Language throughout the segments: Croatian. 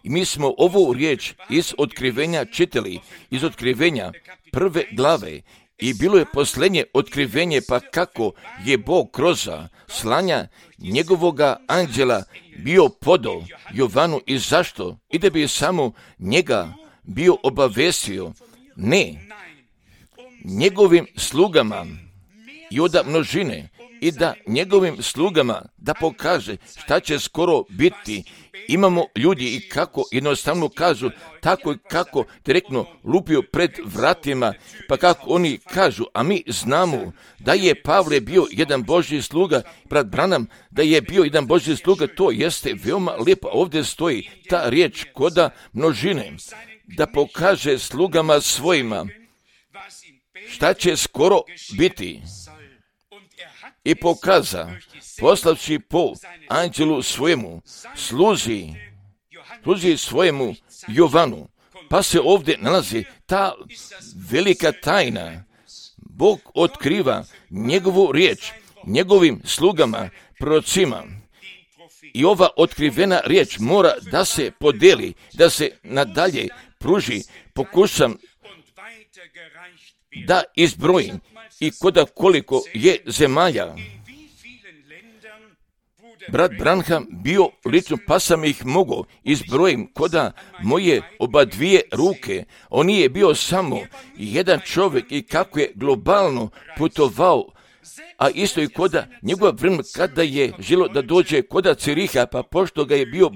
I mi smo ovu riječ iz Otkrivenja čitali, iz Otkrivenja 1. glave. I bilo je posljednje otkrivenje, pa kako je Bog kroz slanja njegovoga anđela bio podao Jovanu i zašto? I da bi samo njega bio obavestio, ne, njegovim slugama i od množine, i da njegovim slugama da pokaže šta će skoro biti. Imamo ljudi i kako jednostavno kažu, tako i kako direktno lupio pred vratima, pa kako oni kažu, a mi znamo da je Pavle bio jedan Božji sluga, brat Branham da je bio jedan Božji sluga, to jeste veoma lijepo. Ovdje stoji ta riječ koda množine, da pokaže slugama svojima šta će skoro biti. I pokaza, poslavši po anđelu svojemu, služi svojemu Jovanu. Pa se ovdje nalazi ta velika tajna. Bog otkriva njegovu riječ, njegovim slugama, prorocima. I ova otkrivena riječ mora da se podeli, da se nadalje pruži. Pokušam da izbrojim i koliko je zemalja. Brat Branham bio lično, pa sam ih mogao izbrojim koda moje oba dvije ruke. On nije bio samo jedan čovjek i kako je globalno putovao, a isto i koda njegova vremena kada je želo da dođe koda Ciriha, pa pošto ga je bio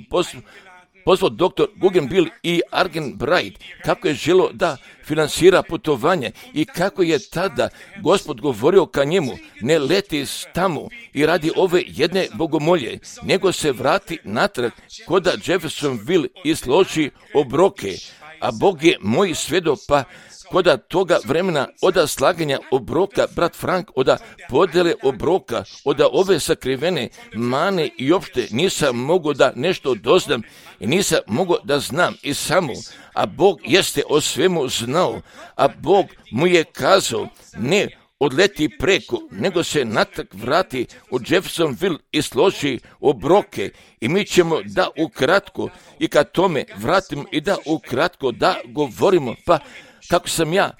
pozvao doktor Guggenbill i Argen Bright, kako je želo da finansira putovanje i kako je tada Gospod govorio ka njemu, ne leti tamo i radi ove jedne bogomolje, nego se vrati natrag koda Jeffersonville i složi obroke, a Bog je moj svjedok, pa koda toga vremena oda slaganja obroka, brat Frank, oda podele obroka, oda ove sakrivene mane i opšte nisam mogao da nešto doznam i nisam mogao da znam i samo, a Bog jeste o svemu znao, a Bog mu je kazao, ne odleti preko, nego se natrag vrati u Jeffersonville i složi obroke i mi ćemo da ukratko i kad tome vratimo i da ukratko da govorimo, pa kako sam ja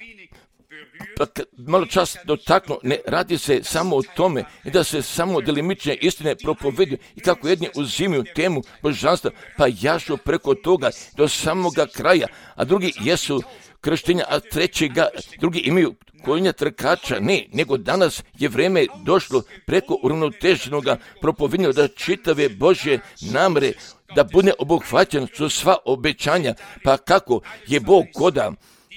malo čas dotaknuo, ne radi se samo o tome i da se samo delimične istine propoveduju i kako jedni uzimaju temu božanstva, pa jašu preko toga do samoga kraja, a drugi jesu krštenja, a drugi imaju konja trkača, ne, nego danas je vrijeme došlo preko uravnoteženog propovedanja da čitave Božje namere da bude obuhvaćen su sva obećanja, pa kako je Bog koda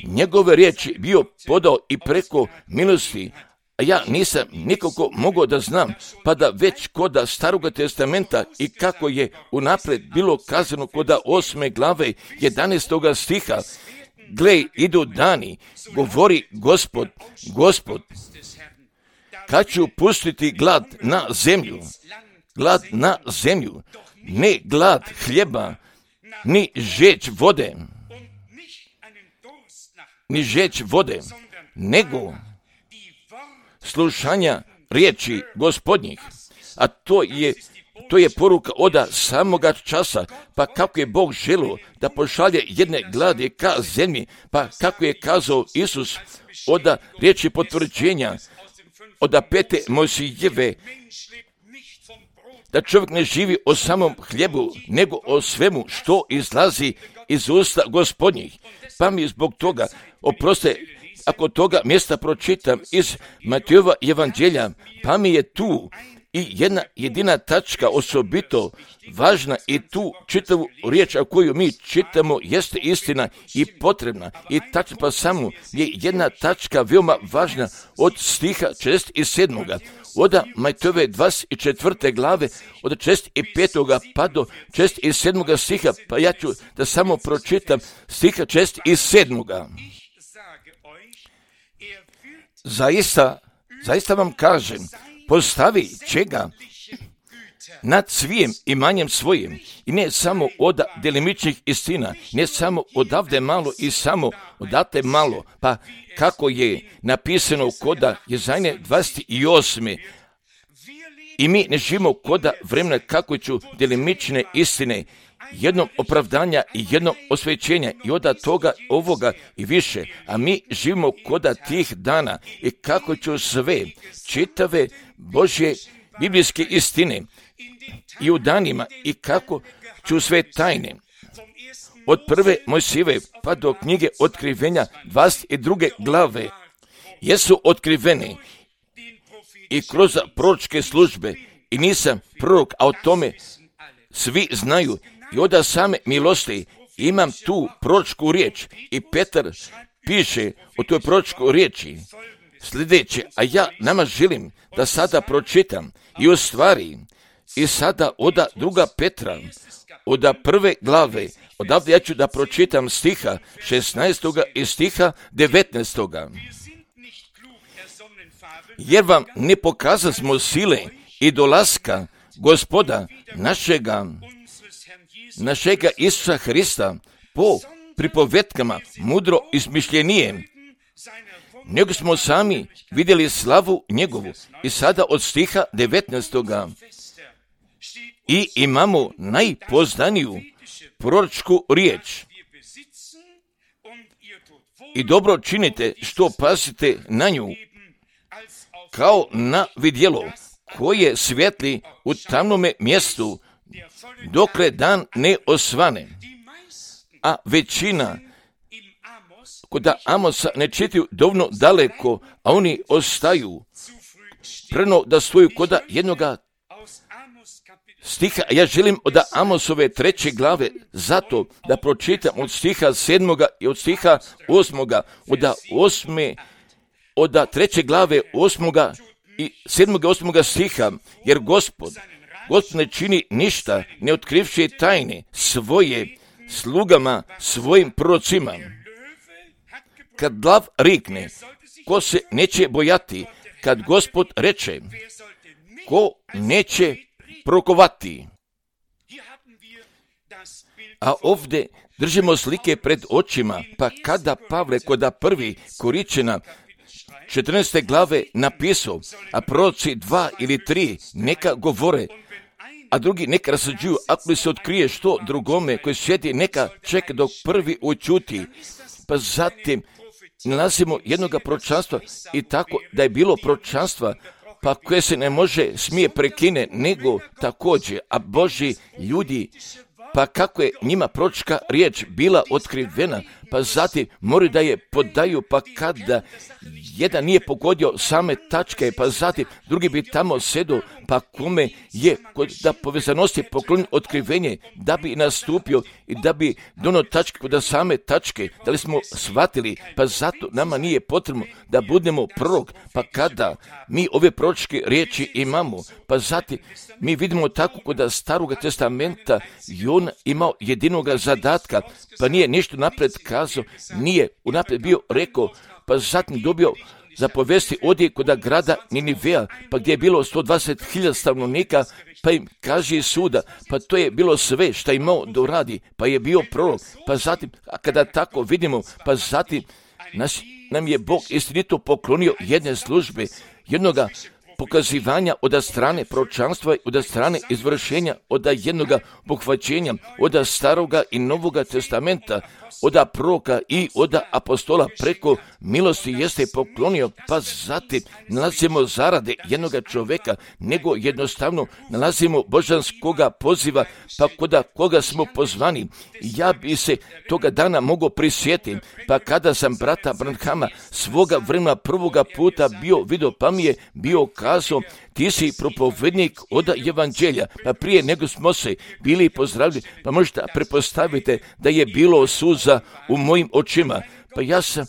njegove riječi bio podao i preko milosti, a ja nisam nikako mogao da znam, pa da već koda Staroga testamenta i kako je unaprijed bilo kazano koda 8. glave 11. stiha, gle, idu dani, govori Gospod, kad ću pustiti glad na zemlju, ne glad hljeba, ni žeđ vode, nego slušanja riječi Gospodnjih, a to je poruka oda samoga časa, pa kako je Bog želio da pošalje jedne gladi ka zemlji, pa kako je kazao Isus oda riječi potvrđenja, oda 5. Mojsijeve, da čovjek ne živi o samom hljebu, nego o svemu što izlazi iz usta Gospodnjih. Pa mi zbog toga, oproste, ako toga mjesta pročitam iz Matejova evanđelja, pa mi je tu i jedna jedina tačka osobito važna i tu čitavu riječ a koju mi čitamo jeste istina i potrebna i tačno, pa samo je jedna tačka veoma važna od stiha 67. Oda Matejove 24. glave od 65. pa do 67. stiha, pa ja ću da samo pročitam stiha 67. Zaista vam kažem, postavi čega nad svijem imanjem svojim i ne samo od delimičnih istina, ne samo odavde malo i samo odate malo, pa kako je napisano koda Jezajne 28. I mi ne živimo koda vremena kako ću delimične istine jednom opravdanja i jednom osvećenja i od toga, ovoga i više. A mi živimo koda tih dana i kako ću sve čitave Božje biblijske istine i u danima i kako ću sve tajne od prve Mojsijeve pa do knjige Otkrivenja 22. glave jesu otkrivene i kroz proročke službe i nisam prorok, a o tome svi znaju i od same milosti imam tu proročku riječ i Petar piše o toj proročkoj riječi sljedeće, a ja nama želim da sada pročitam i u stvari i sada od 2. Petra od 1. glave odavde ja ću da pročitam stiha 16. i stiha 19. Jer vam ne pokazasmo sile i dolaska Gospoda našega Isusa Hrista po pripovetkama mudro izmišljenije, nego smo sami vidjeli slavu njegovu. I sada od stiha 19. I imamo najpoznaniju proročku riječ. I dobro činite što pazite na nju, kao na vidjelo koje svijetli u tamnome mjestu, dokle dan ne osvane. A većina kod Amosa ne čitaju dovoljno daleko, a oni ostaju preno da stoju kod jednoga stiha. Ja želim od Amosove 3. glave zato da pročitam od stiha 7. i od stiha 8. od 3. glave 8. i 7. i 8. stiha, jer Gospod ne čini ništa ne otkrivši tajne svoje slugama, svojim prorocima. Kad lav rikne, ko se neće bojati, kad Gospod reče, ko neće prokovati. A ovdje držimo slike pred očima, pa kada Pavle kod 1. Koričana 14. glave napisao, a proroci 2 ili 3 neka govore, a drugi neka rasađuju, ako li se otkrije što drugome koji sjedi, neka čeka dok prvi učuti. Pa zatim nalazimo jednoga proročanstva i tako da je bilo proročanstva pa koje se ne smije prekine, nego također, a Božji ljudi, pa kako je njima proročka riječ bila otkrivena, pa zatim moraju da je podaju, pa kada jedan nije pogodio same tačke, pa zatim drugi bi tamo sedo, pa kome je da povezanosti poklonio otkrivenje, da bi nastupio i da bi donio tačke kod same tačke, da li smo shvatili, pa zato nama nije potrebno da budemo prorok, pa kada mi ove proročke riječi imamo, pa zatim mi vidimo tako kod Staroga testamenta i on imao jedinoga zadatka, pa nije ništa napred kazao, nije unaprijed bio rekao, pa zatim dobio zapovesti odi kod grada Ninivea, pa gdje je bilo 120.000 stanovnika, pa im kaže suda, pa to je bilo sve što je imao da uradi, pa je bio prorok, pa zatim, a kada tako vidimo, pa zatim nam je Bog istinito poklonio jedne službe, jednoga pokazivanja od strane proročanstva, od strane izvršenja, od jednoga pohvaćenja, od Staroga i Novoga testamenta, od proroka i od apostola preko milosti jeste poklonio, pa zatim nalazimo zarade jednoga čovjeka, nego jednostavno nalazimo božanskoga poziva, pa kod koga smo pozvani. Ja bi se toga dana mogao prisjetiti, pa kada sam brata Branhama svoga vremena prvoga puta vidio, pa mi je bio kazao, ti si propovednik od evanđelja, pa prije nego smo se bili pozdravili, pa možete pretpostavite da je bilo suza u mojim očima, pa ja sam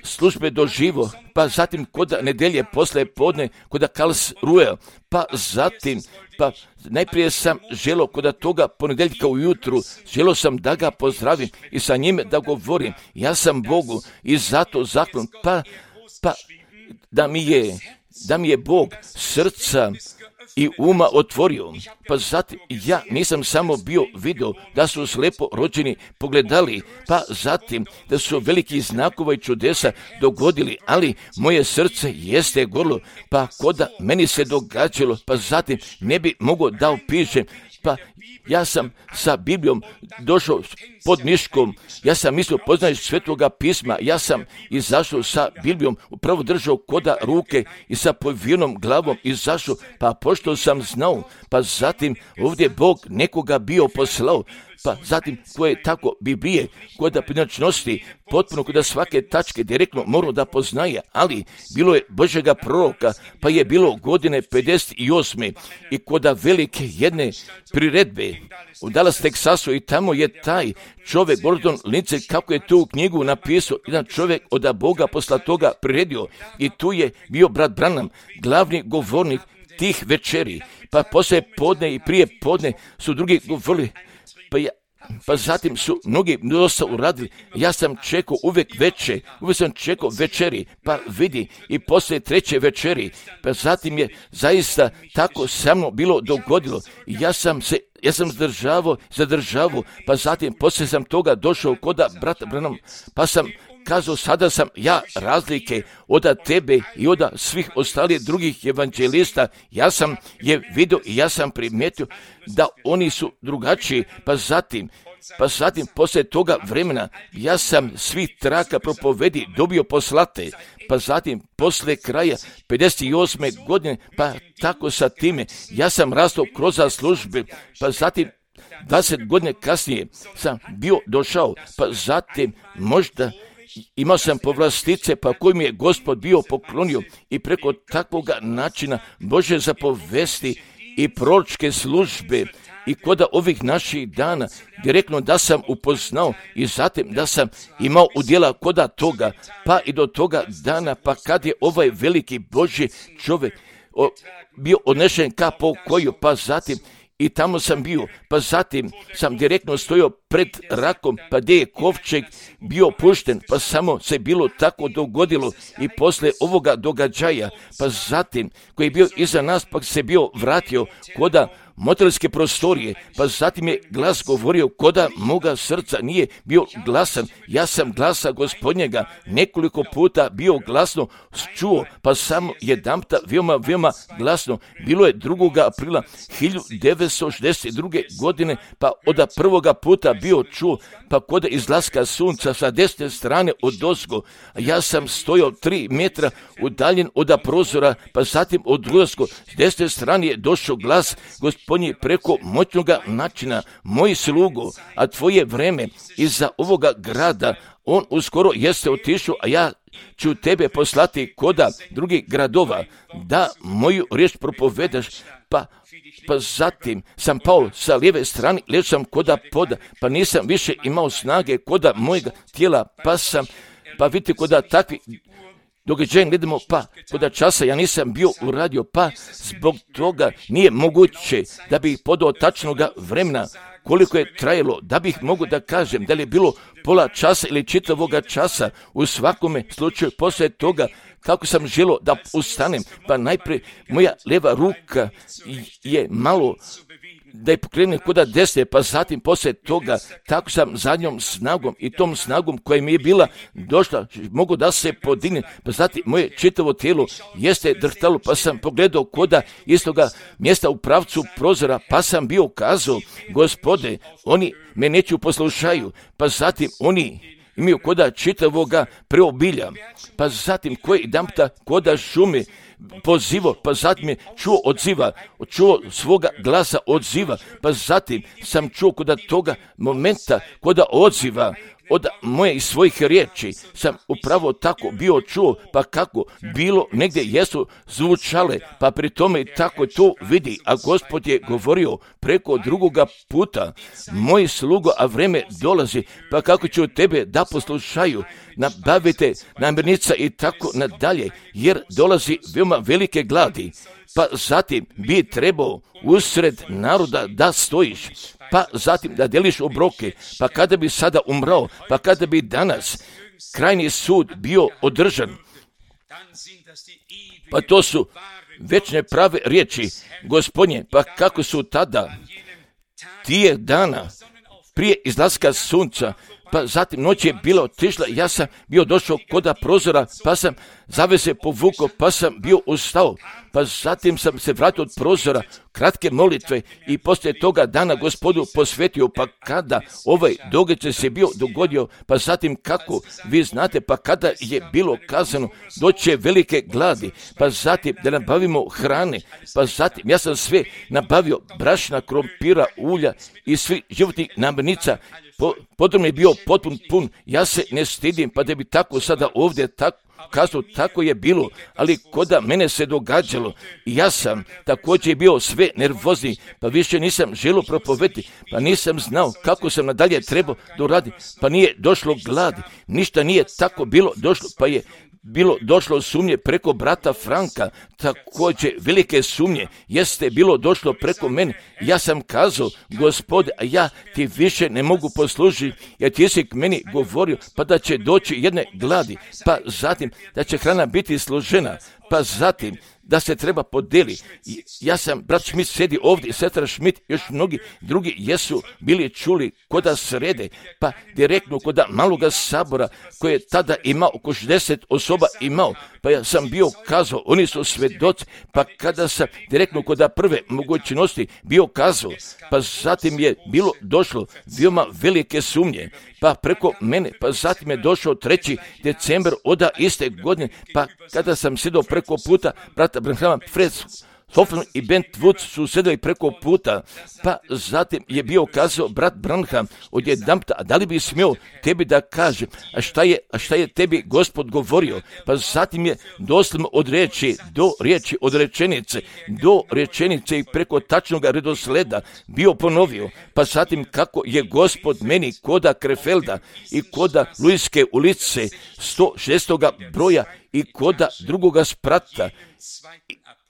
službe doživo, pa zatim kod nedelje posle podne kod Karlsruhe, pa zatim, pa najprije sam želio kod toga ponedjeljka ujutru, želio sam da ga pozdravim i sa njime da govorim, ja sam Bogu i zato zahvalan, pa da mi je Bog srca i uma otvorio, pa zatim ja nisam samo bio vidio da su slijepo rođeni pogledali, pa zatim da su veliki znakova i čudesa dogodili, ali moje srce jeste gorlo, pa koda meni se događalo, pa zatim ne bi mogao da opišem, pa ja sam sa Biblijom došao pod miškom, ja sam mislio poznaješ Svetoga pisma, ja sam izašao sa Biblijom, upravo držao koda ruke i sa povijenom glavom izašao, pa pošto sam znao, pa zatim ovdje Bog nekoga bio poslao, pa zatim koje tako Biblije, koda pojedinačnosti, potpuno koda svake tačke direktno morao da poznaje, ali bilo je Božjega proroka, pa je bilo godine 58. i koda velike jedne priredbe u Dallas, Teksasu, i tamo je taj čovjek, Gordon Lindsay, kako je tu knjigu napisao, jedan čovjek od Boga posla toga priredio, i tu je bio brat Branham, glavni govornik tih večeri, pa poslije podne i prije podne su drugi govorili, pa zatim su mnogi dosta uradili. Ja sam čekao uvijek sam čekao večeri, pa vidi, i poslije treće večeri, pa zatim je zaista tako sa mnom bilo dogodilo. Ja sam zadržavao, pa zatim poslije sam toga došao koda brata Branham, pa sam kazao, sada sam ja razlike od tebe i od svih ostalih drugih evanđelista. Ja sam je vidio i ja sam primijetio da oni su drugačiji, pa zatim poslije toga vremena ja sam svih traka propovedi dobio poslate, pa zatim poslije kraja 58. godine, pa tako sa time ja sam rastao kroz službe, pa zatim 20 godine kasnije sam bio došao, pa zatim možda imao sam povlastice, pa koji mi je Gospod bio poklonio, i preko takvoga načina Bože zapovesti i proročke službe i koda ovih naših dana direktno da sam upoznao i zatim da sam imao udjela koda toga, pa i do toga dana, pa kad je ovaj veliki Božji čovjek bio odnešen ka pokoju, pa zatim i tamo sam bio, pa zatim sam direktno stojao pred rakom, pa gdje je kovčeg bio pušten, pa samo se bilo tako dogodilo i poslije ovoga događaja, pa zatim koji je bio iza nas, pa se bio vratio koda motelske prostorije, pa zatim je glas govorio koda moga srca nije bio glasan. Ja sam glasa Gospodnjega nekoliko puta bio glasno čuo, pa samo jedanputa veoma glasno. Bilo je 2. aprila 1962. godine, pa od prvoga puta bio čuo, pa kod izlaska sunca sa desne strane odozgo, a ja sam stojao 3 metra udaljen od prozora, pa zatim od ulaska s desne strane je došao glas Gospodnji preko moćnoga načina, moj slugo, a tvoje vreme iza ovoga grada, on uskoro jeste otišao, a ja ću tebe poslati koda drugih gradova, da moju riječ propovedaš, pa zatim sam pao sa lijeve strane, ležao sam koda poda, pa nisam više imao snage koda mojega tijela, pa vidite koda takvi događaja gledamo, pa koda časa ja nisam bio uradio, pa zbog toga nije moguće da bih podao tačnoga vremena koliko je trajalo, da bih mogu da kažem da li je bilo pola časa ili čitavoga časa. U svakome slučaju poslije toga kako sam želio da ustanem, pa najprije moja lijeva ruka je malo da je pokrenem koda desne, pa zatim poslije toga tako sam zadnjom snagom i tom snagom koja mi je bila došla, mogu da se podigne, pa zatim moje čitavo tijelo jeste drhtalo, pa sam pogledao koda istoga mjesta u pravcu prozora, pa sam bio kazao, Gospode, oni me neću poslušaju, pa zatim oni imaju koda čitavoga preobilja, pa zatim koji jedanputa koda šume pozivao, pa zatim je čuo svoga glasa odziva, pa zatim sam čuo koda toga momenta koda odziva od moje i svojih riječi sam upravo tako bio čuo, pa kako bilo negdje jesu zvučale, pa pri tome tako to vidi, a Gospod je govorio preko drugoga puta, moj slugo, a vreme dolazi, pa kako ću tebe da poslušaju, nabavite namirnica i tako nadalje, jer dolazi veoma velike gladi, pa zatim bi trebao usred naroda da stojiš, pa zatim da deliš obroke, pa kada bi sada umrao, pa kada bi danas krajnji sud bio održan, pa to su večne prave riječi Gospodnje, pa kako su tada tije dana prije izlaska sunca pa zatim noć je bila otišla, ja sam bio došao koda prozora, pa sam zavese povukao, pa sam bio ustao, pa zatim sam se vratio od prozora, kratke molitve i poslije toga dana Gospodu posvetio, pa kada ovaj događaj se bio dogodio, pa zatim kako, vi znate, pa kada je bilo kazano doće velike gladi, pa zatim da nabavimo hrane, pa zatim ja sam sve nabavio, brašna, krompira, ulja i svih životnih namirnica, potom je bio potpun pun, ja se ne stidim, pa da bi tako sada ovdje kazao, tako je bilo, ali koda mene se događalo i ja sam također bio sve nervozni, pa više nisam želio propovediti, pa nisam znao kako sam nadalje trebao doraditi, pa nije došlo gladi, ništa nije tako bilo došlo, pa je bilo došlo sumnje preko brata Franka, također velike sumnje, jeste bilo došlo preko mene, ja sam kazao, Gospode, a ja ti više ne mogu poslužiti, jer ti si k meni govorio, pa da će doći jedne gladi, pa zatim da će hrana biti složena, pa zatim da se treba podeli. Ja sam, brat Schmidt sedi ovdje, sestra Schmidt, još mnogi drugi jesu bili čuli koda srede, pa direktno koda maloga sabora koji je tada imao oko 60 osoba imao, pa ja sam bio kazao, oni su svedoci, pa kada sam direktno koda prve mogućnosti bio kazao, pa zatim je bilo došlo veoma velike sumnje, pa preko mene, pa zatim je došao 3. decembar oda iste godine, pa kada sam sjedao preko puta brata Branhama, Fred Hoffman i Bent Woods su sedeli preko puta, pa zatim je bio kazao brat Branham odjedanput, a da li bi smio tebi da kažem, a šta je tebi Gospod govorio, pa zatim je doslovno od riječi do riječi, od rečenice do rečenice i preko tačnog redosleda bio ponovio, pa zatim kako je Gospod meni koda Krefelda i koda Luiske ulice 106. broja i koda drugoga sprata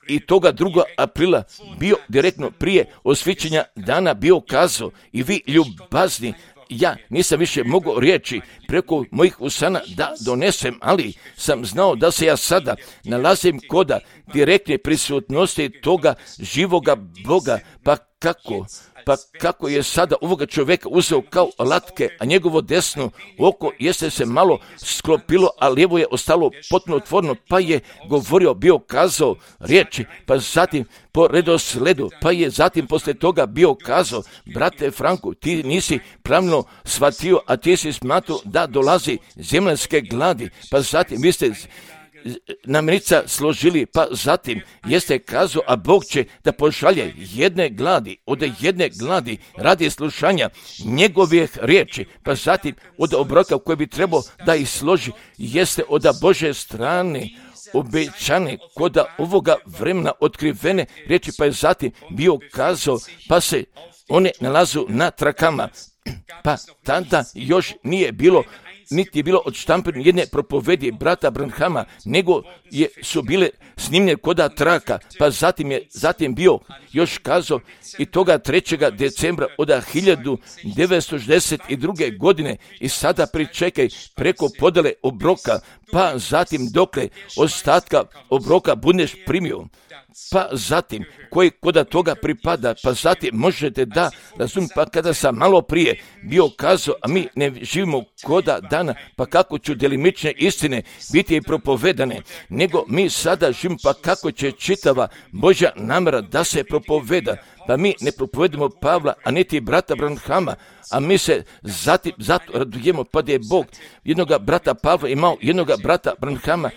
i toga 2. aprila bio direktno prije osvićenja dana bio kazao i vi ljubazni, ja nisam više mogao riječi preko mojih usana da donesem, ali sam znao da se ja sada nalazim koda direktne prisutnosti toga živoga Boga, pa kako je sada ovoga čovjeka uzeo kao latke, a njegovo desno oko jeste se malo sklopilo, a lijevo je ostalo potpuno otvoreno, pa je govorio, bio kazao riječi, pa zatim po redosledu, pa je zatim poslije toga bio kazao, brate Franku, ti nisi pravno shvatio, a ti si smatrao da dolazi zemaljske gladi, pa zatim vi ste namirnica složili, pa zatim jeste kazao, a Bog će da pošalje jedne gladi radi slušanja njegovih riječi, pa zatim od obroka koji bi trebao da ih složi jeste od Božje strane obećane koda ovoga vremena otkrivene riječi, pa je zatim bio kazao, pa se one nalazu na trakama, pa tada još nije bilo niti je bilo odštampano jedne propovedi brata Branhama, nego su bile snimljene koda traka, pa zatim bio još kazao i toga 3. decembra od 1962. godine i sada pričekaj preko podele obroka, pa zatim dokle ostatka obroka budeš primio, pa zatim koji koda toga pripada, pa zatim možete da razumite, pa kada sam malo prije bio kazao, a mi ne živimo koda dana, pa kako ću delimične istine biti i propovedane, nego mi sada živimo, pa kako će čitava Božja namjera da se propoveda, pa mi ne propovedamo Pavla, a niti brata Branhama, a mi se zato radujemo, pa da je Bog jednoga brata Pavla imao, jednoga brata Branhama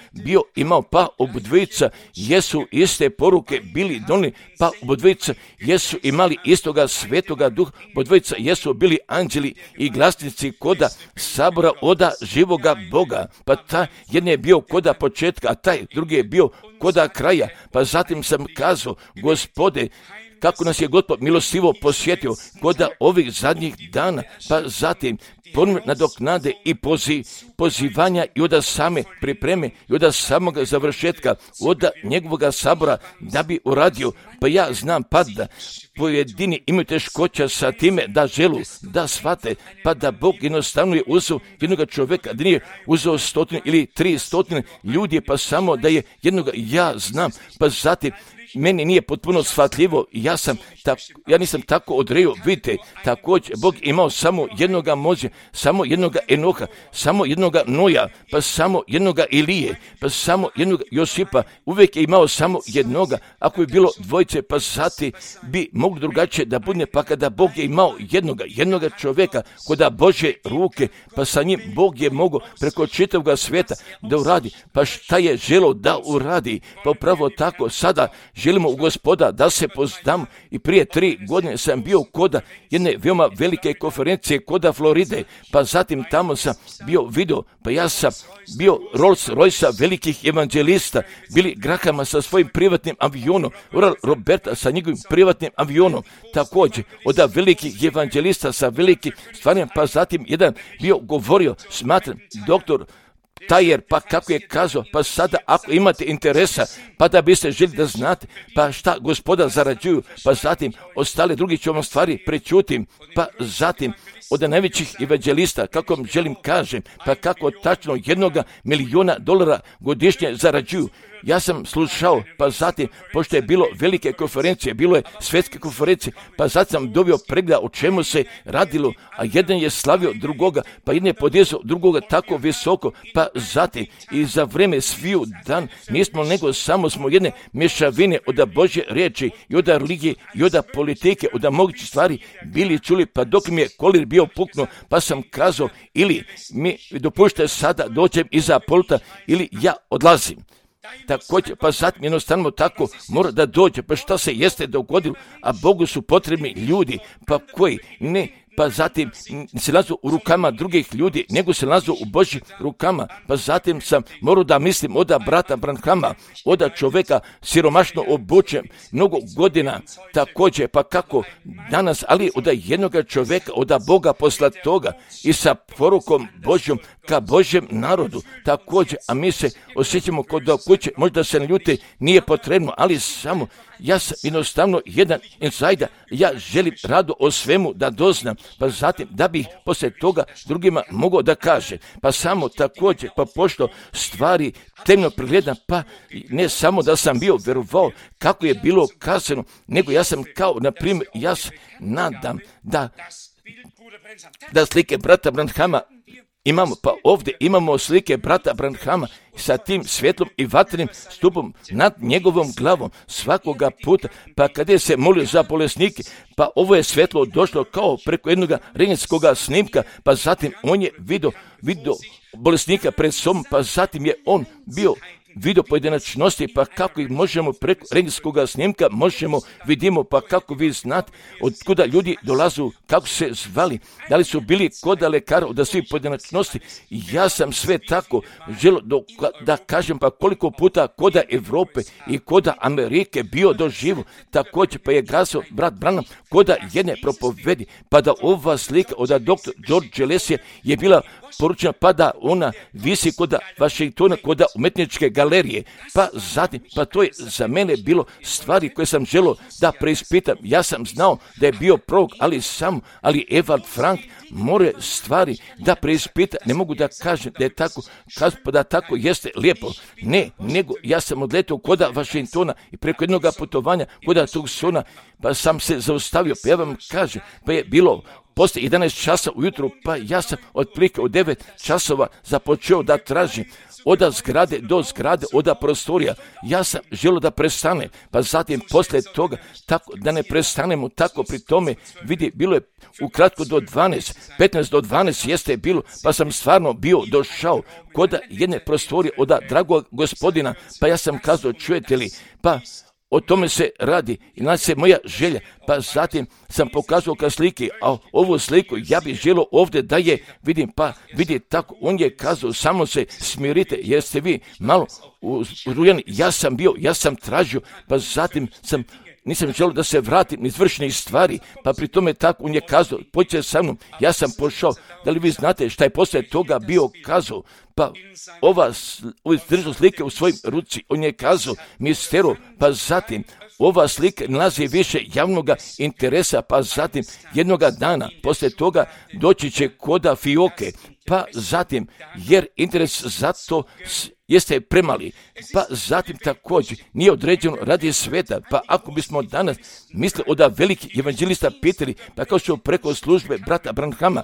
imao, pa obodvojica jesu iste poruke bili donili, pa obodvojica jesu imali istoga svetoga duha, obodvojica jesu bili anđeli i glasnici koda sabora oda živoga Boga, pa ta jedan je bio koda početka, a taj drugi je bio koda kraja, pa zatim sam kazao, Gospode, kako nas je Gospod milostivo posjetio koda ovih zadnjih dana, pa zatim ponovno nadoknade i pozivanja i od same pripreme i od samoga završetka, od njegovoga sabora da bi uradio, pa ja znam pa da pojedini imaju teškoća sa time da želu, da shvate, pa da Bog jednostavno je uzeo jednoga čovjeka, da nije uzeo 100 ili 300 ljudi, pa samo da je jednoga, ja znam, pa zatim meni nije potpuno shvatljivo, ja nisam tako odreo, vidite, također Bog imao samo jednoga Moze, samo jednoga Enoha, samo jednoga Noja, pa samo jednoga Ilije, pa samo jednoga Josipa, uvijek je imao samo jednoga, ako bi bilo dvojice, pa sati bi moglo drugačije da bude, pa kada Bog je imao jednoga čovjeka koda Božje ruke, pa sa njim Bog je mogao preko čitavog svijeta da uradi, pa šta je želio da uradi, pa upravo tako sada želimo u Gospoda da se poznamo. I prije 3 godine sam bio koda jedne veoma velike konferencije koda Floride, pa zatim tamo sam bio video, pa ja sam bio Rolls Royce velikih evanđelista, Billy Grahama sa svojim privatnim avionom, Oral Roberta sa njegovim privatnim avionom, također od velikih evanđelista sa velikim stvarima, pa zatim jedan bio govorio, smatram, doktor Tajer, pa kako je kazao, pa sada ako imate interesa, pa da biste želi da znate, pa šta Gospoda zarađuju, pa zatim ostale drugi ću vam stvari prečutim, pa zatim od najvećih evanđelista, kako vam želim kažem, pa kako tačno $1 milion godišnje zarađuju. Ja sam slušao, pa zatim, pošto je bilo velike konferencije, bilo je svjetske konferencije, pa zatim sam dobio pregleda o čemu se radilo, a jedan je slavio drugoga, pa jedan je podizao drugoga tako visoko, pa zatim i za vreme sviju dan nismo nego samo smo jedne mješavine od Božje riječi i od religije i od politike, od mogućih stvari bili čuli, pa dok mi je kolir bio puknuo, pa sam kazao ili mi dopušte sada dođem iza pulta ili ja odlazim. Također, pa zatim jednostavno tako mora da dođe, pa šta se jeste dogodilo, a Bogu su potrebni ljudi, pa koji ne, pa zatim se nalazu u rukama drugih ljudi, nego se nalazu u Božjim rukama, pa zatim sam morao da mislim od brata Branhama, od čovjeka siromašno obučen, mnogo godina, također, pa kako danas, ali od jednog čovjeka, od Boga poslatoga i sa porukom Božjom ka Božjem narodu, također, a mi se osjećamo kod kuće, možda se ne ljute, nije potrebno, ali samo ja sam jednostavno jedan insajder, ja želim rado o svemu da doznam, pa zatim da bih poslije toga drugima mogao da kaže, pa samo također, pa pošto stvari temno pregledam, pa ne samo da sam bio verovao kako je bilo kazano, nego ja sam kao, na primjer, ja se nadam da slike brata Branhama imamo, pa ovdje imamo slike brata Branhama sa tim svjetlom i vatrenim stupom nad njegovom glavom svakoga puta, pa kada je se molio za bolesnike, pa ovo je svjetlo došlo kao preko jednog rengenskog snimka, pa zatim on je vidio bolesnika pred sobom, pa zatim je on bio vidio pojedinačnosti, pa kako ih možemo preko rengenskog snimka vidimo, pa kako vi znate od kuda ljudi dolazu, kako se zvali, da li su bili koda lekara od svih pojedinačnosti. Ja sam sve tako želio da kažem, pa koliko puta koda Evrope i koda Amerike bio doživo, također pa je glasio brat Branham koda jedne propovedi, pa da ova slika od dr. George Leslie je bila poručena, pa da ona visi koda Vašingtona, koda umetničke galerije, pa zatim, pa to je za mene bilo stvari koje sam želio da preispitam. Ja sam znao da je bio prorok, ali Evald Frank more stvari da preispita, ne mogu da kažem da je tako, pa da tako jeste lijepo, ne, nego ja sam odletio koda Vašingtona i preko jednog putovanja koda Tucsona, pa sam se zaustavio, pa ja vam kažem, pa je bilo poslije 11 časa ujutru, pa ja sam otprilike od 9 časova započeo da tražim od zgrade do zgrade, od prostorija. Ja sam želio da prestane, pa zatim poslije toga, tako da ne prestanemo tako pri tome, vidi, bilo je ukratko do 12, 15 do 12 jeste bilo, pa sam stvarno bio došao kod jedne prostorije od dragog gospodina, pa ja sam kazao, čujete li, pa o tome se radi i znači se moja želja, pa zatim sam pokazao ka slike, a ovu sliku ja bih želio ovdje da je vidim, pa vidi tako, on je kazao, samo se smirite jer ste vi malo uzrujani, ja sam tražio, pa zatim nisam želio da se vratim iz vršnih stvari, pa pri tome tako on je kazao, pođite sa mnom, ja sam pošao, da li vi znate šta je poslije toga bio kazao, pa ova držao slike u svojim ruci, on je kazao, misteru, pa zatim, ova slika nalazi više javnog interesa, pa zatim jednoga dana, poslije toga doći će koda fioke, pa zatim, jer interes za to jeste premali, pa zatim također nije određeno radi sveta, pa ako bismo danas mislili da veliki evanđelista pitali, pa kao što preko službe brata Branhama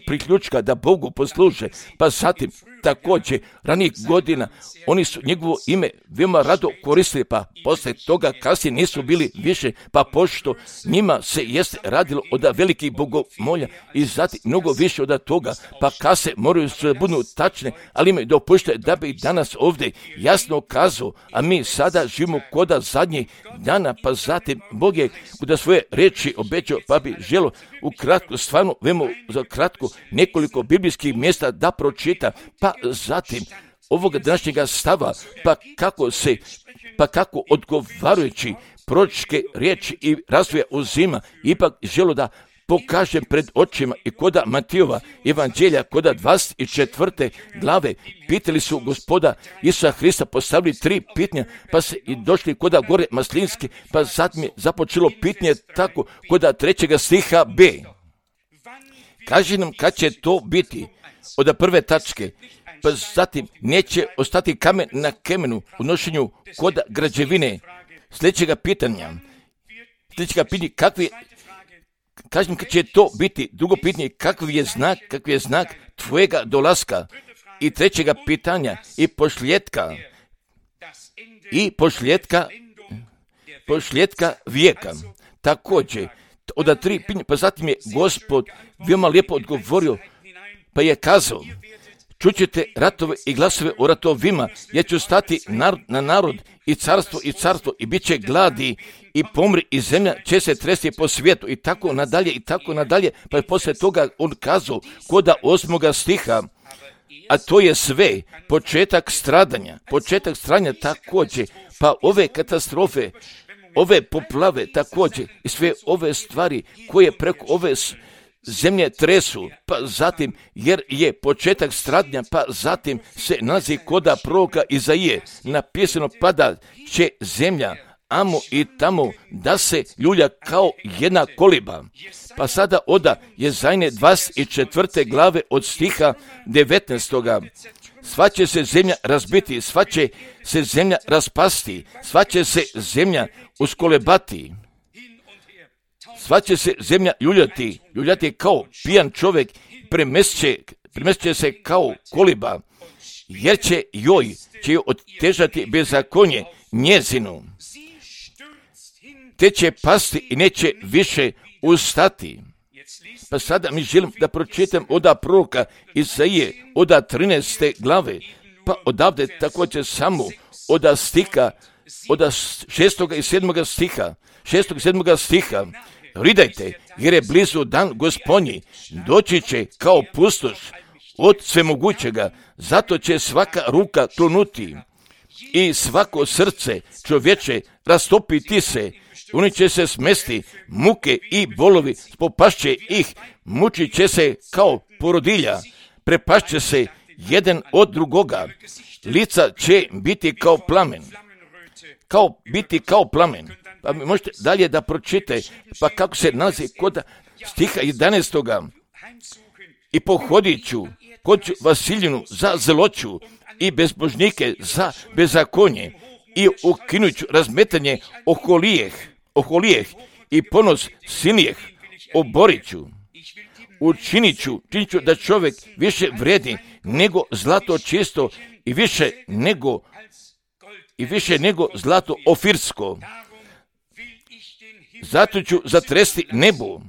priključka da Bogu posluže, pa zatim također ranijih godina oni su njegovo ime veoma rado koristili, pa poslije toga kasnije nisu bili više, pa pošto njima se jeste radilo od velikih bogomolja i zatim mnogo više od toga, pa kase moraju se budu tačne, ali imaju dopušte da bi danas ovdje jasno kazao, a mi sada živimo koda zadnjih dana, pa zatim Bog je kuda svoje reči obećao, pa bi želo ukratko, stvarno vemo za kratko nekoliko biblijskih mjesta da pročita, pa zatim ovoga današnjega stava, pa kako odgovarajući proročke riječi i razvoja uzima, ipak želo da pokažem pred očima i koda Matijova evanđelja, koda 24. glave, pitali su Gospoda Isusa Hrista, postavili 3 pitanja, pa se i došli koda gore Maslinske, pa zatim je započelo pitanje tako koda 3. stiha B. Kaže nam kad će to biti od prve tačke, pa zatim neće ostati kamen na kemenu u nošenju koda građevine. Sljedećega pitanja, kakvi, kažem kad će to biti, drugo pitanje, kakvi je znak tvojega dolaska, i trećega pitanja, i pošljetka vijeka. Također, od 3 pitanja, pa zatim je Gospod veoma lijepo odgovorio, pa je kazao, čućete ratove i glasove o ratovima, ja ću stati narod na narod i carstvo i bit će gladi i pomri i zemlja će se tresti po svijetu i tako nadalje, pa je poslije toga on kazao koda 8. stiha, a to je sve početak stradanja također, pa ove katastrofe, ove poplave također i sve ove stvari koje preko ove zemlje tresu, pa zatim jer je početak stradnja, pa zatim se nalazi koda proroka Izaije napisano, pada će zemlja amo i tamo da se ljulja kao jedna koliba. Pa sada oda Jezajne 24. glave od stiha 19. Sva će se zemlja razbiti, sva će se zemlja raspasti, sva će se zemlja uskolebati. Sva će se zemlja ljuljati kao pijan čovjek, premest će se kao koliba, jer će joj otežati bezakonje njezinu, te će pasti i neće više ustati. Pa sada mi želim da pročitam oda proroka Isaije, oda 13. glave, pa odavde također samo oda stiha, oda 6. i 7. stiha, ridajte, jer je blizu dan Gospodnji, doći će kao pustoš od svemogućega, zato će svaka ruka klonuti i svako srce čovječe rastopiti se, oni će se smesti, muke i bolovi spopašće ih, mučit će se kao porodilja, prepašće se jedan od drugoga, lica će biti kao plamen. Pa možete dalje da pročite, pa kako se nalazi kod stiha 11. I pohodit ću kod Vasiljinu za zloću i bezbožnike za bezakonje i ukinut ću razmetanje oholijeh i ponos silnijeh oborit ću. Učinit ću da čovjek više vredi nego zlato čisto i više nego zlato ofirsko. Zato ću zatresti nebo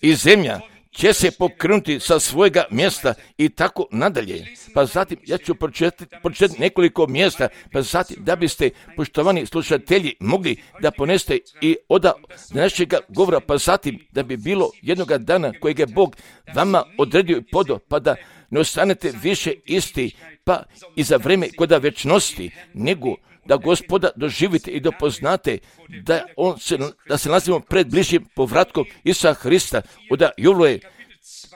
i zemlja će se pokrenuti sa svojega mjesta i tako nadalje. Pa zatim ja ću pročitati nekoliko mjesta, pa zatim da biste, poštovani slušatelji, mogli da poneste i od našega govora, pa zatim da bi bilo jednoga dana kojeg je Bog vama odredio i podao, pa da ne ostanete više isti, pa i za vrijeme koda večnosti, nego da Gospoda doživite i dopoznate da se nalazimo pred bližim povratkom Isusa Hrista,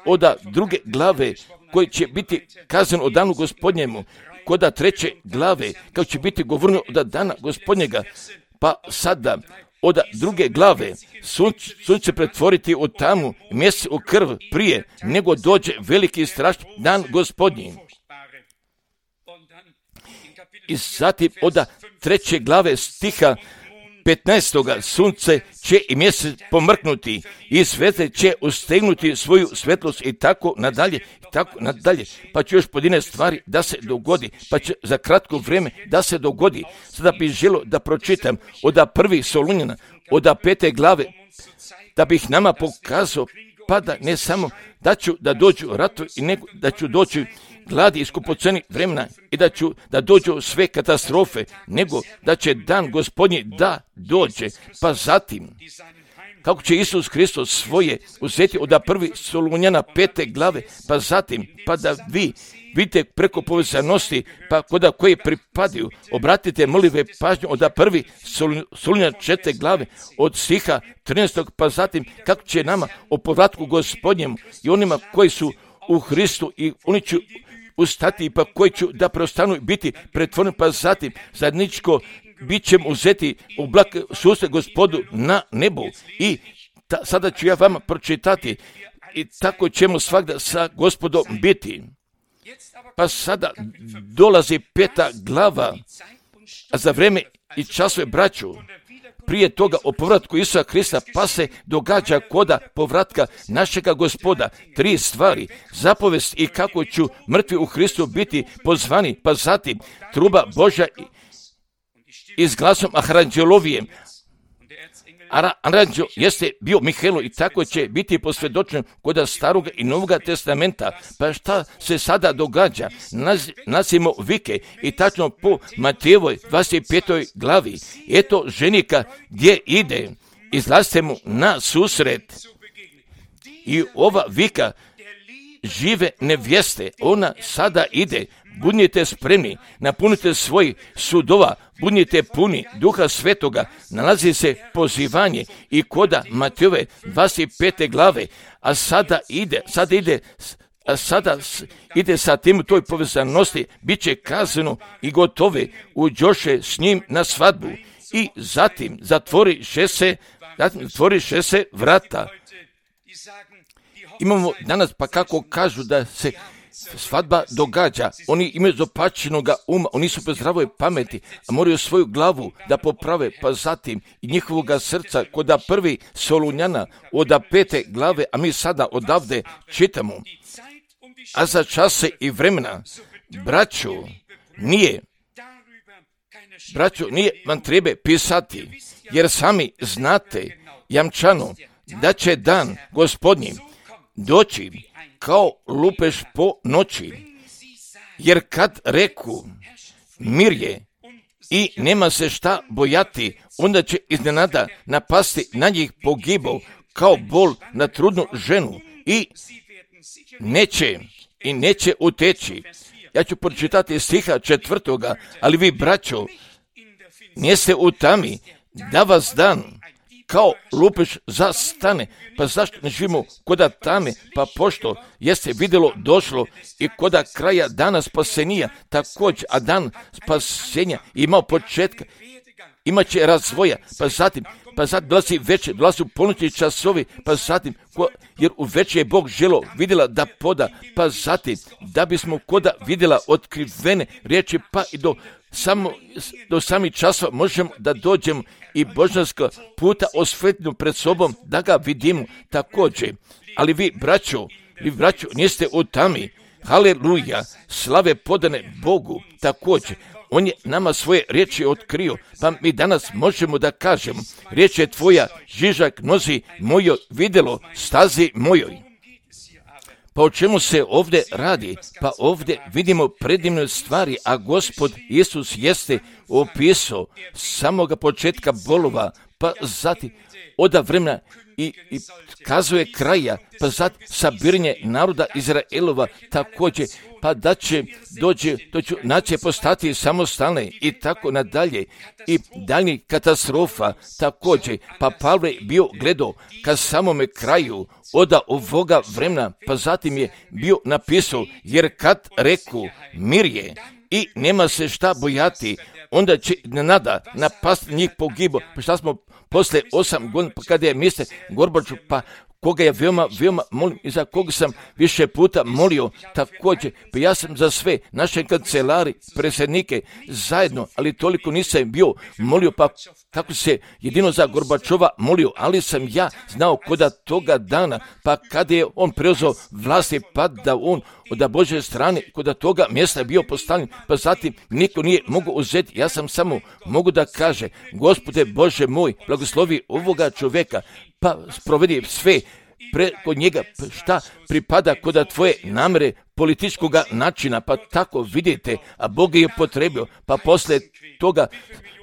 od druge glave koji će biti kazan o danu Gospodnjemu, koda 3. glave kako će biti govoreno od dana Gospodnjega, pa sada od 2. glave sunce pretvoriti u tamu, mjesec u krv prije nego dođe veliki i strašni dan Gospodnji. I zatim od 3. glave stiha 15. sunce će i mjesec pomrknuti i svete će ustegnuti svoju svetlost i tako nadalje, pa će još pojedine stvari da se dogodi, pa će za kratko vrijeme da se dogodi. Sada bih želio da pročitam od 1. Solunjana, od 5. glave, da bih nama pokazao, pa da ne samo da dođu ratovi, nego da ću doći gladi i skupoceni vremena i da dođu sve katastrofe, nego da će dan Gospodnji da dođe. Pa zatim, kako će Isus Hristos svoje uzeti od 1. Solunjana 5. glave, pa zatim, pa da vi vidite preko povezanosti, pa kod koje pripadaju, obratite molive pažnju od 1. Solunjana 4. glave, od stiha 13. pa zatim, kako će nama o povratku Gospodnjemu i onima koji su u Hristu i oni će ustati, pa koji ću da preostanu biti pretvoreni, pa zatim zajedničko bit ćemo uzeti u oblak susret Gospodu na nebu. I sada ću ja vama pročitati i tako ćemo svakda sa Gospodom biti. Pa sada dolazi 5. glava, a za vrijeme i časove braću, prije toga o povratku Isusa Hrista, pa se događa koda povratka našega Gospoda 3 stvari, zapovest i kako ću mrtvi u Hristu biti pozvani, pa zatim truba Božja i s glasom aranđelovijem. Aranđel jeste bio Mihajlo i tako će biti posvjedočen kod Staroga i Novoga testamenta. Pa šta se sada događa? Nasimo vike i tačno po Matejevoj 25. glavi. Eto ženika gdje ide, izlazite mu na susret. I ova vika žive nevjeste, ona sada ide. Budnite spremni, napunite svoj sudova, budnite puni Duha Svetoga, nalazi se pozivanje i koda Matejove 25. glave, a sada ide sa tim u toj povezanosti, bit će kazano i gotove, uđoše s njim na svadbu i zatim zatvoriše se vrata. Imamo danas, pa kako kažu da se svadba događa, oni imaju zopačenoga uma, oni su bez zdravoj pameti, a moraju svoju glavu da poprave, pa zatim i njihovoga srca kod 1. Solunjana od 5. glave, a mi sada odavde čitamo. A za čase i vremena, braćo, nije vam treba pisati, jer sami znate jamčano da će dan Gospodnji doći kao lupež po noći, jer kad reku mir je i nema se šta bojati, onda će iznenada napasti na njih pogibao kao bol na trudnu ženu i neće uteći. Ja ću pročitati stiha 4. ali vi, braćo, niste u tami da vas dan kao lupež zastane. Pa zašto ne živimo koda tame? Pa pošto jeste vidjelo došlo i koda kraja dana spasenija također, a dan spasenja imao početka, imat će razvoja, pa zatim dolazi večer, dolazi u ponoćni časovi, pa zatim, jer u večer je Bog želo vidjela da poda, pa zatim, da bismo koda vidjela otkrivene riječi, pa i do samih časova možemo da dođemo i božanska puta osvetljenu pred sobom, da ga vidimo također. Ali vi, braćo, niste u tami, haleluja, slave podane Bogu također. On je nama svoje riječi otkrio, pa mi danas možemo da kažemo, riječ je tvoja, žižak nozi mojo, vidjelo stazi mojoj. Pa o čemu se ovdje radi? Pa ovdje vidimo predivne stvari, a Gospod Isus jeste opisao samoga početka bolova, pa zatim od vremena i kazuje kraja, pa zatim sabiranje naroda Izraelova također, pa da će dođe nacije postati samostalne i tako nadalje i daljnjih katastrofa također, pa Pavle je bio gledao ka samome kraju od ovoga vremena, pa zatim je bio napisao, jer kad reku mir je i nema se šta bojati, onda će nada napasti njih pogibo. Pa šta smo posle 8 godina, pa kada je misle Gorbačov, pa koga ja veoma molim i za koga sam više puta molio također. Pa ja sam za sve naše kancelari, predsjednike zajedno, ali toliko nisam bio molio, pa kako se jedino za Gorbačova molio, ali sam ja znao koda toga dana, pa kada je on preuzeo vlasti, pa da on od Božje strane koda toga mjesta bio postavljen, pa zatim niko nije mogao uzeti. Ja sam samo mogu da kaže, Gospode Bože moj, blagoslovi ovoga čovjeka, pa sprovedi sve preko njega šta pripada koda tvoje namere političkog načina, pa tako vidite, a Bog je potrebio, pa poslije toga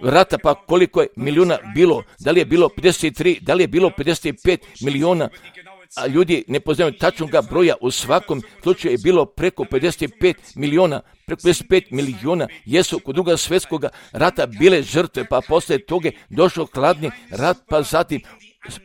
rata, pa koliko je milijuna bilo, da li je bilo 53, da li je bilo 55 milijuna, a ljudi ne poznaju tačnog broja, u svakom slučaju je bilo preko 55 milijuna, preko 55 milijuna jesu kod Drugog svjetskog rata bile žrtve, pa poslije toga došao hladni rat, pa zatim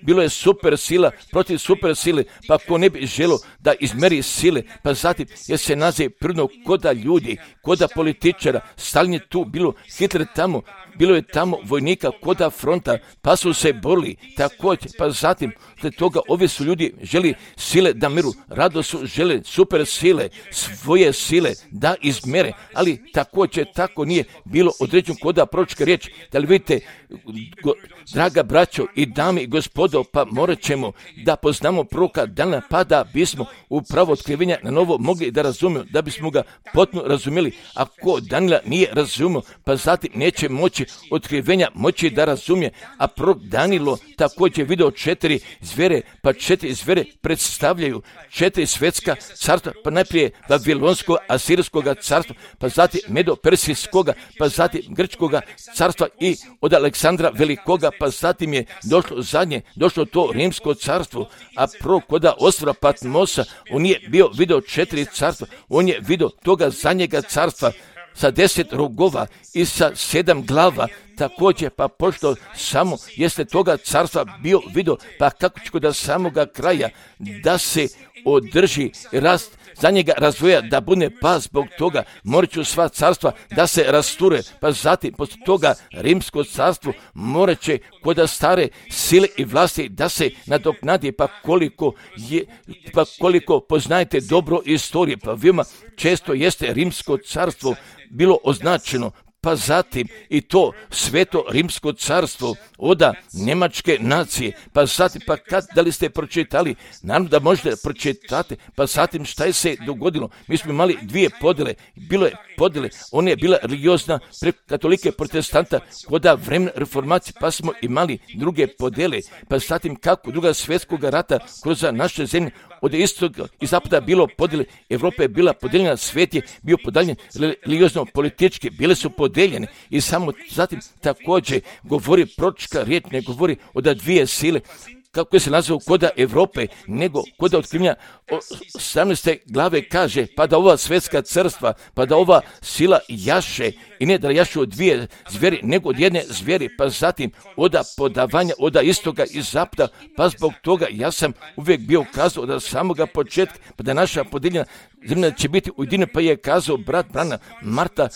bilo je super sila protiv super sile, pa ko ne bi želio da izmeri sile, pa zatim je se naziv prirodno koda ljudi, koda političara, Stalin je tu, bilo Hitler tamo, bilo je tamo vojnika koda fronta, pa su se borili također, pa zatim sled toga ovi su ljudi želi sile da miru, rado su žele super sile, svoje sile da izmere, ali također tako nije bilo određeno koda proročka riječ. Da li vidite, draga braćo i dame i gospodo, pa morat ćemo da poznamo proroka dana, pa da bismo upravo otkrivenja na novo mogli da razumijemo, da bismo ga potpuno razumjeli. Ako Danila nije razumio, pa zatim neće moći otkrivenja moći da razumije, a prorok Danilo također video 4 zvere, pa 4 zvere predstavljaju 4 svjetska carstva, pa najprije Vavilonskog, Asirijskog carstva, pa zatim Medo-Persijskoga, pa zatim Grčkoga carstva i od Aleksandra Velikoga, pa zatim je došlo zadnje, došlo to Rimsko carstvo, a prorok koda ostrva Patmosa, on je bio video 4 carstva, on je video toga zadnjega carstva sa 10 rogova i sa 7 glava, također, pa pošto samo jeste toga carstva bio video, pa kako će kod samoga kraja da se održi rast za njega razvoja, da bude pa zbog toga morat ću sva carstva da se rasture, pa zatim poslije toga Rimsko carstvo morat će kod stare sile i vlasti da se nadoknadi, pa koliko poznajete dobro istorije, pa veoma često jeste Rimsko carstvo bilo označeno, pa zatim i to sveto Rimsko carstvo oda Njemačke nacije, pa zatim, pa da li ste pročitali, naravno da možete pročitati, pa zatim šta je se dogodilo. Mi smo imali 2 podjele, bilo je podjele, ona je bila religiozna preko katolike protestanta koda vremena reformacije, pa smo imali druge podjele, pa zatim kako Drugog svjetskog rata kroz naše zemlje od istog i zapada bilo podjele, Evropa je bila podijeljena, svijet je bio podijeljen religiozno politički, bile su podijeljene i samo zatim također govori proročka riječ, ne govori o da 2 sile, kako se nazvao koda Evrope, nego koda otkrivenja 17. glave kaže, pa da ova svjetska carstva, pa da ova sila jaše, i ne da jaše od 2 zveri, nego od 1 zveri, pa zatim oda podavanja, oda istoga i zapada, pa zbog toga ja sam uvijek bio kazao od samoga početka, pa da naša podijeljena zemlja će biti ujedinjena, pa je kazao brat Brana Marta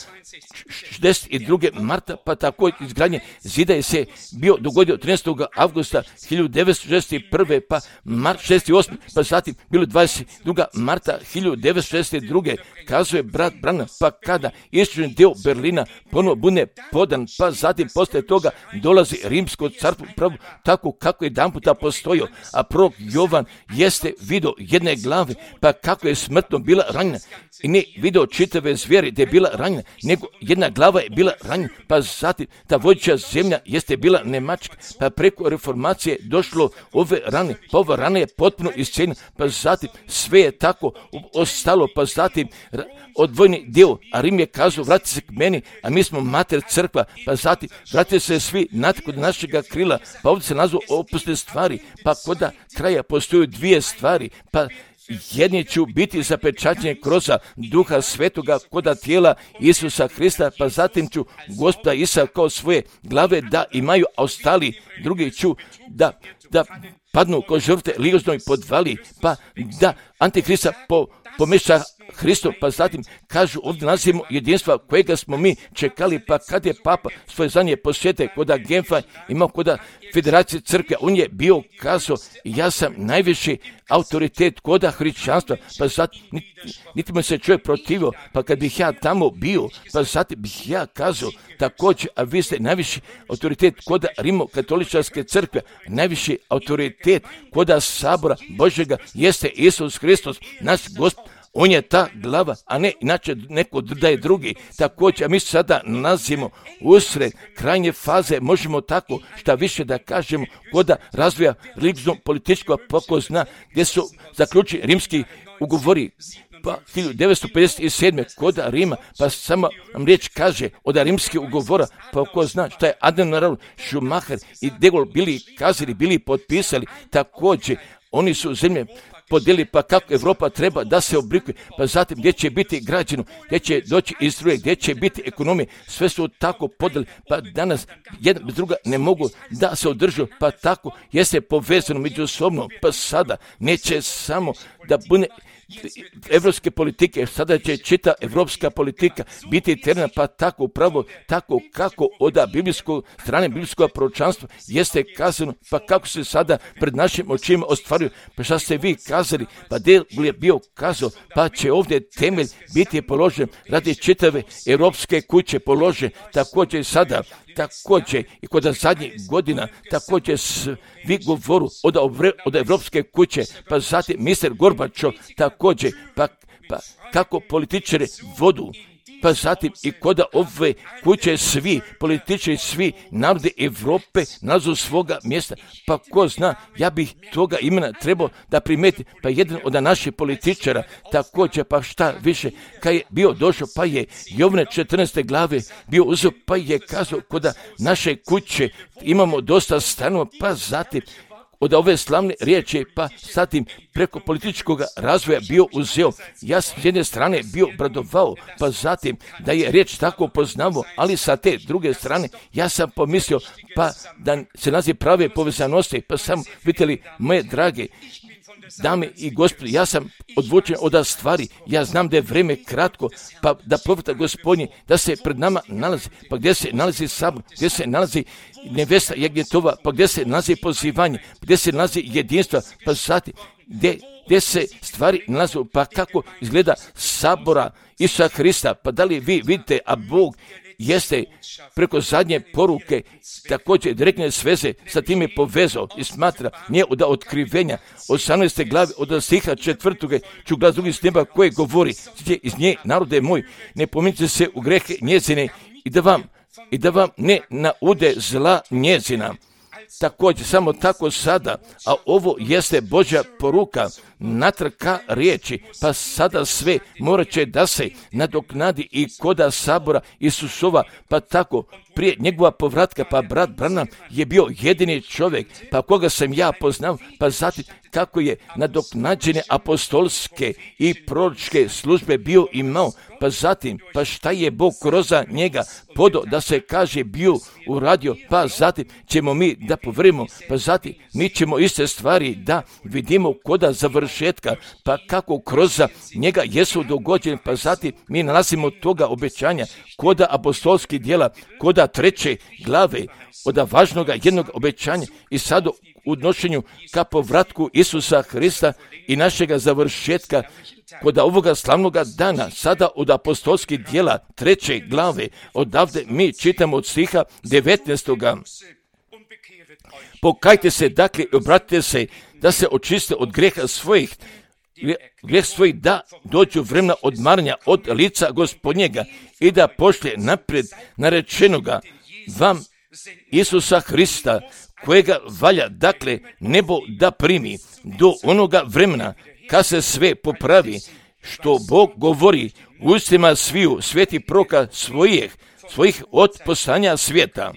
62. Marta, pa tako izgradnje zida je se bio dogodio 13. avgusta 1961. pa mart 68. pa zatim bilo 22. marta 1962. kazuje brat Brana, pa kada istočni dio Berlina ponovo bude podan, pa zatim poslije toga dolazi Rimsko carstvo, pravo tako kako je jedanputa postojio, a prorok Jovan jeste video 1 glave, pa kako je smrtno bila ranjena i ne video čitave zvijeri da je bila ranjena, nego 1 glava je bila ranjena, pa zatim ta vodeća zemlja jeste bila Njemačka, pa preko reformacije došlo ove rane, pa ova rana je potpuno iscijeljena, pa zatim sve je tako ostalo, pa zatim odvojni dio, a Rim je kazao vrati se k meni, a mi smo mater crkva, pa zatim vratite se svi natrag kod našega krila, pa ovdje se nazvao opusne stvari, pa koda kraja postoju 2 stvari, pa jedni ću biti zapečaćeni kroz Duha Svetoga koda tijela Isusa Hrista, pa zatim ću Gospoda Isa kao svoje glave da imaju, a ostali drugi ću da padnu ko žrtve ligoznoj podvali, pa da Antihrista pomeša Hristom, pa zatim kažu ovdje nalazimo jedinstva kojega smo mi čekali, pa kad je Papa svoje zadnje posjete koda Genfa imao koda Federacije crkve, on je bio kazao ja sam najviši autoritet koda hrišćanstva, pa zatim niti mu se čovjek protivio, pa kad bih ja tamo bio, pa zatim bih ja kazao također, a vi ste najviši autoritet koda Rimokatoličarske crkve, najviši autoritet koda Sabora Božjega jeste Isus Hristos, naš Gospod. On je ta glava, a ne inače neko da je drugi. Također, a mi sada nalazimo usred krajnje faze, možemo tako šta više da kažemo, koda razvoja religijno-političkog pokozna, gdje su zaključeni rimski ugovori, pa 1957. koda Rima, pa samo nam riječ kaže od rimskih ugovora, pa ko zna šta je Admiral Schumacher i De Gaulle bili potpisali, također oni su zemlje podijeli, pa kako Europa treba da se oblikuje, pa zatim gdje će biti građeno, gdje će doći Izrael, gdje će biti ekonomije, sve su tako podijeli, pa danas jedna bez druga ne mogu da se održu, pa tako jeste povezano međusobno, pa sada neće samo da bude evropske politike, sada će čita evropska politika biti terena, pa tako upravo, tako kako od strane biblijskog proročanstva jeste kazano, pa kako se sada pred našim očima ostvaruju, pa šta ste vi kazali, pa De Gaulle je bio kazao, pa će ovdje temelj biti položen radi čitave evropske kuće položen, također sada, također i kod zadnjih godina, također svi govoru od evropske kuće, pa zatim mister Gorbačov, također, pa kako političari vodu, pa zatim i kod ove kuće svi političari, svi narodi Evrope nalazu svoga mjesta, pa ko zna, ja bih toga imena trebao da primeti, pa jedan od naših političara, također, pa šta više, kad je bio došao, pa je Jovne 14. glave bio uzeo, pa je kazao kod naše kuće imamo dosta stanova, pa zatim od ove slavne riječi, pa zatim preko političkog razvoja bio uzeo. Ja sam s jedne strane bio obradovao, pa zatim da je riječ tako poznavo, ali sa te druge strane ja sam pomislio, pa da se nazi prave povezanosti, pa sam vidjeli moje drage dame i gospodi, ja sam odvučen od stvari, ja znam da je vrijeme kratko, pa da profeta Gospodnji, da se pred nama nalazi, pa gdje se nalazi sabor, gdje se nalazi nevesta Jagnjetova, pa gdje se nalazi pozivanje, gdje se nalazi jedinstva, pa zatim gdje se stvari nalaze, pa kako izgleda sabora Isusa Hrista, pa da li vi vidite, a Bog jeste preko zadnje poruke također direktne sveze sa tim je povezao i smatra nije od otkrivenja 18. glave od stiha 4. ću glas drugi s neba koje govori iz nje narode moj ne pominjte se u grehe njezine i da vam ne naude zla njezina. Također, samo tako sada, a ovo jeste Božja poruka, natrag ka riječi, pa sada sve morat će da se nadoknadi i koda sabora Isusova, pa tako prije njegova povratka, pa brat Branham je bio jedini čovjek, pa koga sam ja poznao, pa zatim kako je nadoknađene apostolske i proročke službe bio imao, pa zatim, pa šta je Bog kroz njega podo da se kaže bio uradio, pa zatim ćemo mi da povrimo, pa zatim mi ćemo iste stvari da vidimo koda završetka, pa kako kroz njega jesu dogođene, pa zatim mi nalazimo toga obećanja koda apostolskih djela, koda 3. glave, od važnoga jednog obećanja i sad u odnošenju ka povratku Isusa Hrista i našega završetka kod ovoga slavnoga dana, sada od apostolskih djela 3. glave, odavde mi čitamo od stiha 19. Pokajte se, dakle, i obratite se, da se očiste od greha svojih, da dođu vremena odmaranja od lica Gospodnjega i da pošlje naprijed narečenoga vam Isusa Hrista, kojega valja, dakle, nebo da primi do onoga vremena kad se sve popravi, što Bog govori u ustima sviju sveti proka svojih od poslanja svijeta.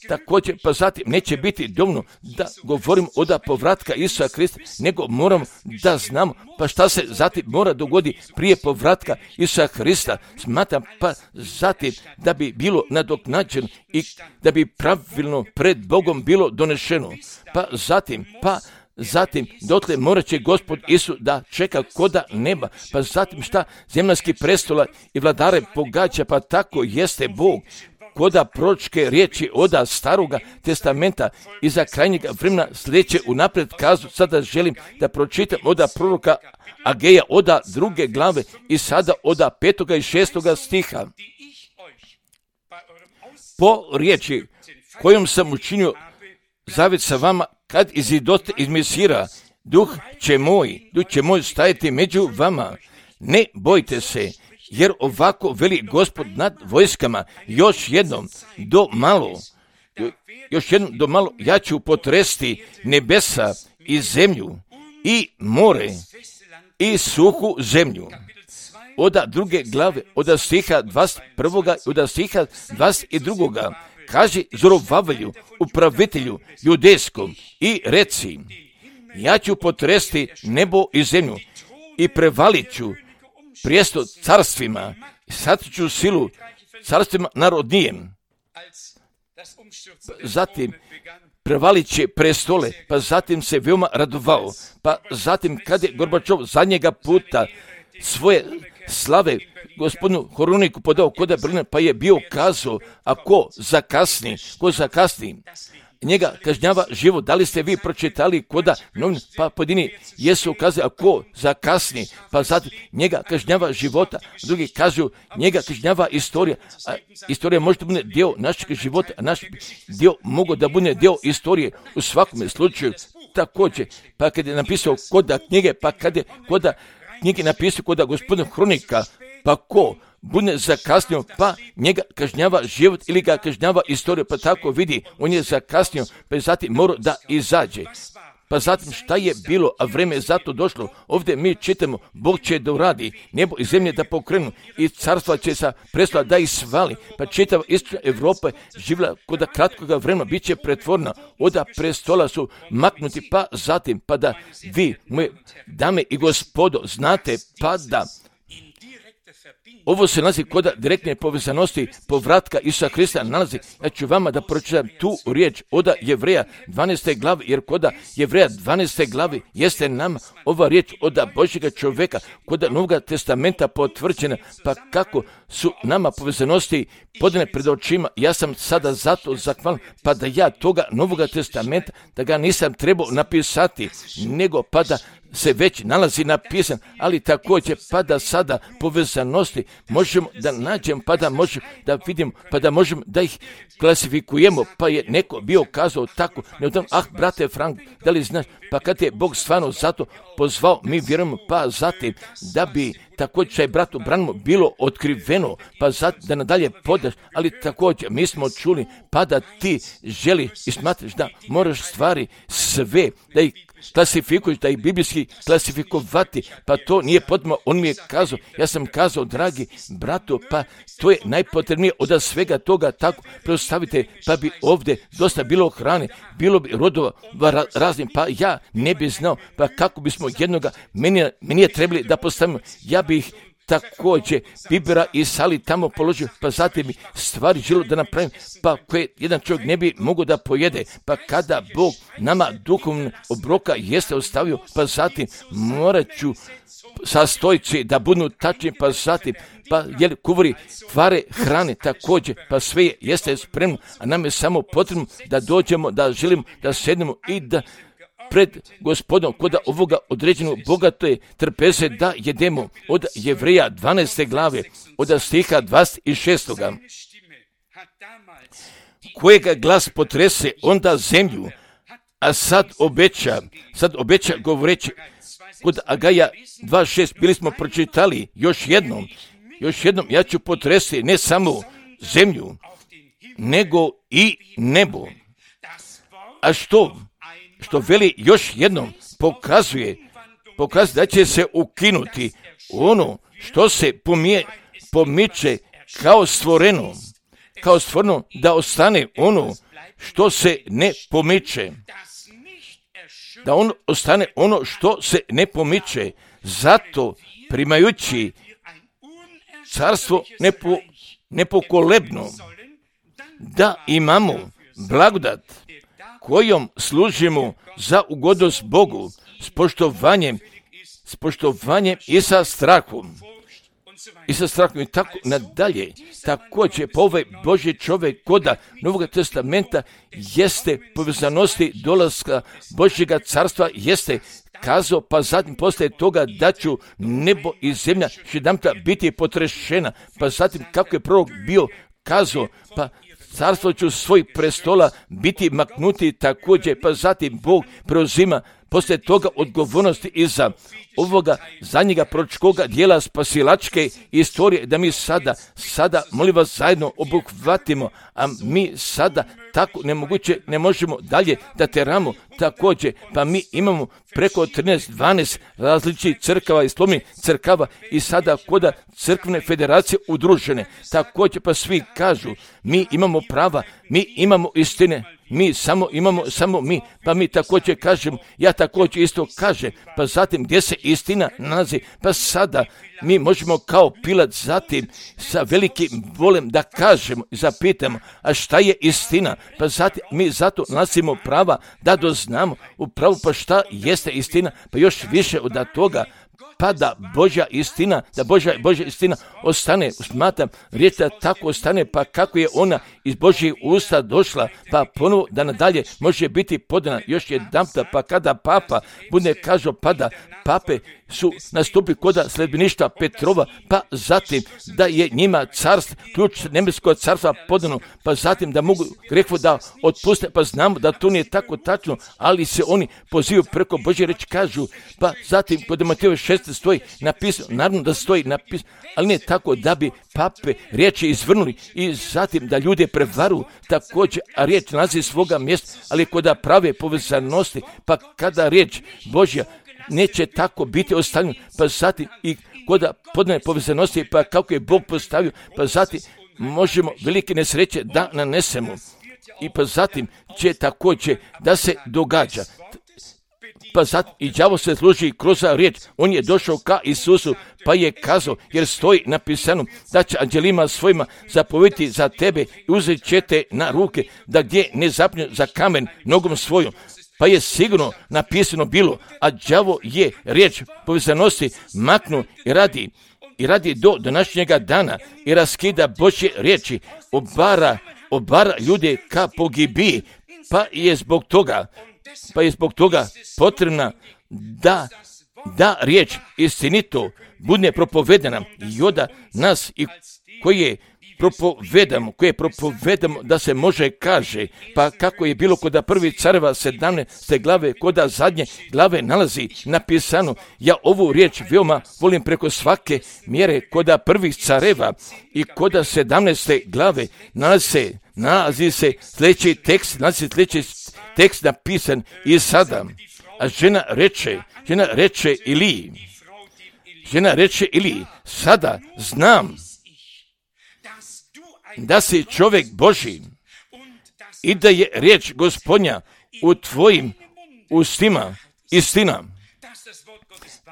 Također, pa zatim neće biti dovoljno da govorim od povratka Isusa Hrista, nego moram da znamo pa šta se zatim mora dogoditi prije povratka Isusa Hrista. Smatram pa zatim da bi bilo nadoknađeno i da bi pravilno pred Bogom bilo donešeno. Pa zatim, pa zatim dotle morat će Gospod Isus da čeka koda neba, pa zatim šta zemaljski prestola i vladare pogađa, pa tako jeste Bog koda proročke riječi oda staroga testamenta i za krajnjega vremena sljedeće unaprijed kazu. Sada želim da pročitam oda proroka Ageja oda 2. glave i sada oda 5. i 6. stiha. Po riječi kojom sam učinio zavjet sa vama, kad izidote iz Misira, duh će moj stajati među vama. Ne bojte se, jer ovako veli Gospod nad vojskama, još jednom do malo ja ću potresti nebesa i zemlju i more i suhu zemlju. Oda 2. glave, oda stiha 21. i oda stiha 22. kaže Zorovavelju, upravitelju judejskom, i reci, ja ću potresti nebo i zemlju i prevalit ću prijesto carstvima i sad ću silu carstvima narodnijem. Zatim prevalit će prestole, pa zatim se veoma radovao, pa zatim kad je Gorbačov zadnjega puta svoje slave gospodinu Horoniku podao koda Berlina, pa je bio kazao, a ko zakasni, njega kažnjava život. Da li ste vi pročitali koda novin, pa pojedini jesu kazali, a ko zakasni, pa zatim njega kažnjava života, drugi kažu njega kažnjava istorija, a istorija može da bude dio našeg života, a naš dio mogu da bude dio istorije u svakom slučaju također. Pa kad je napisao koda knjige, pa kad je koda knjige napisao koda gospodina Hronika, pa ko bude zakasnio, pa njega kažnjava život ili ga kažnjava istorija, pa tako vidi, on je zakasnio, pa zatim mora da izađe. Pa zatim šta je bilo, a vreme je zato došlo. Ovdje mi čitamo, Bog će da uradi, nebo i zemlje da pokrenu i carstva će sa prestola da ih svali. Pa čitava istočna Evropa živjela kod kratkoga vremena, bit će pretvorena, oda prestola su maknuti, pa zatim, pa da vi, moje dame i gospodo, znate, pa da ovo se nalazi kod direktne povezanosti povratka Isusa Krista nalazi. Ja ću vama da pročitam tu riječ od Jevreja 12. glavi, jer kod Jevreja 12. glavi jeste nam ova riječ od Božjega čovjeka, kod Novog testamenta potvrđena, pa kako su nama povezanosti podane pred očima. Ja sam sada zato zahvalan, pa da ja toga Novog testamenta, da ga nisam trebao napisati, nego pa da se već nalazi napisan, ali također pa da sada povezanosti možemo da nađemo, pa da možemo da vidimo, pa da možemo da ih klasifikujemo, pa je neko bio kazao tako, brate Frank, da li znaš, pa kad je Bog stvarno zato pozvao, mi vjerujemo, pa zatim da bi također čaj bratu Branimo bilo otkriveno, pa zatim da nadalje podaš, ali također mi smo čuli, pa da ti želiš i smatraš da moraš stvari sve, da ih klasifikuješ, da ih biblijski klasifikovati, pa to nije potrebno. On mi je kazao, ja sam kazao, dragi bratu, pa to je najpotrebnije od svega toga, tako preostavite, pa bi ovdje dosta bilo hrane, bilo bi rodova raznim, pa ja ne bi znao, pa kako bismo jednoga, meni je trebali da postavimo, ja bih također bibera i sali tamo položio, pa zatim mi stvari želo da napravim, pa koje jedan čovjek ne bi mogao da pojede, pa kada Bog nama duhovno obroka jeste ostavio, pa zatim morat ću sastojci da budu tačni, pa zatim pa kuvari kvare hrane također, pa sve jeste spremno, a nam je samo potrebno da dođemo, da želimo da sednemo i da pred Gospodom kod ovoga određenog bogato je trpeze da jedemo. Od Jevreja 12. glave, od stiha 26. Kojega glas potrese onda zemlju, a sad obeća govoreći, kod Agaja 2.6 bili smo pročitali još jednom, ja ću potresti ne samo zemlju, nego i nebo. A što veli još jednom, pokazuje da će se ukinuti ono što se pomiče kao stvoreno, da ostane ono što se ne pomiče, da on ostane ono što se ne pomiče, zato primajući carstvo nepokolebno, da imamo blagodat kojom služimo za ugodnost Bogu, s poštovanjem i sa strahom. I sa strahom i tako nadalje. Također, po ovaj Božji čovjek koda Novog testamenta jeste povezanosti dolaska Božjega carstva, jeste kazao, pa zatim poslije toga da ću nebo i zemlja jedanputa biti potrešena, pa zatim kako je prorok bio kazao, pa carstvo ću svoj prestola biti maknuti također, pa zatim Bog preuzima poslije toga odgovornosti iza ovoga zadnjega proročkoga dijela spasilačke istorije, da mi sada molim vas zajedno obuhvatimo, a mi sada tako nemoguće ne možemo dalje da teramo također, pa mi imamo preko 13-12 različitih crkava i slovnih crkava i sada koda crkvene federacije udružene, također pa svi kažu mi imamo prava, mi imamo istine, mi samo mi, pa mi također kažemo, ja također isto kažem, pa zatim gdje se istina nalazi, pa sada mi možemo kao Pilat zatim sa velikim volem da kažemo i zapitamo, a šta je istina, pa zatim mi zato nalazimo prava da doznamo upravo pa šta jeste istina, pa još više od toga, pa da Božja istina, da Božja istina ostane, smatram, riječ da tako ostane, pa kako je ona iz Božjih usta došla, pa ponovo da nadalje može biti podana još jedanputa, pa kada papa bude kažao, pa da pape su nastupili koda sledbeništva Petrova, pa zatim da je njima carstvo, ključ nebeskog carstva podano, pa zatim da mogu grehvo da otpuste, pa znamo da to nije tako tačno, ali se oni pozivaju preko Božje reči, kažu, pa zatim kod Matejove 6 stoji napisano, naravno da stoji napisano, ali ne tako da bi pape riječi izvrnuli i zatim da ljude prevaru također, a riječ nalazi svoga mjesta, ali kod prave povezanosti, pa kada riječ Božja neće tako biti ostavljeno, pa zatim i kod podane povezanosti, pa kako je Bog postavio, pa zatim možemo velike nesreće da nanesemo i pa zatim će također da se događa. Pa zatim i đavo se služi kroz riječ, on je došao ka Isusu, pa je kazao, jer stoji napisano da će anđelima svojima zapovjediti za tebe i uzet će te na ruke, da gdje ne zapnju za kamen nogom svojom. Pa je sigurno napisano bilo, a đavo je riječ povezanosti maknu i radi do današnjega dana i raskida Božje riječi, obara ljude ka pogibiji, pa je zbog toga potrebna da riječ istinito bude propovedana i onda nas i koje propovedamo da se može kaže, pa kako je bilo kod prvi careva 17. glave, kod zadnje glave nalazi napisano, ja ovu riječ veoma volim preko svake mjere, kod prvih careva i kod 17. glave nalazi se sljedeći tekst napisan i sada, a žena reče Iliji, sada znam da si čovjek Božji i da je riječ Gospodnja u tvojim ustima istina.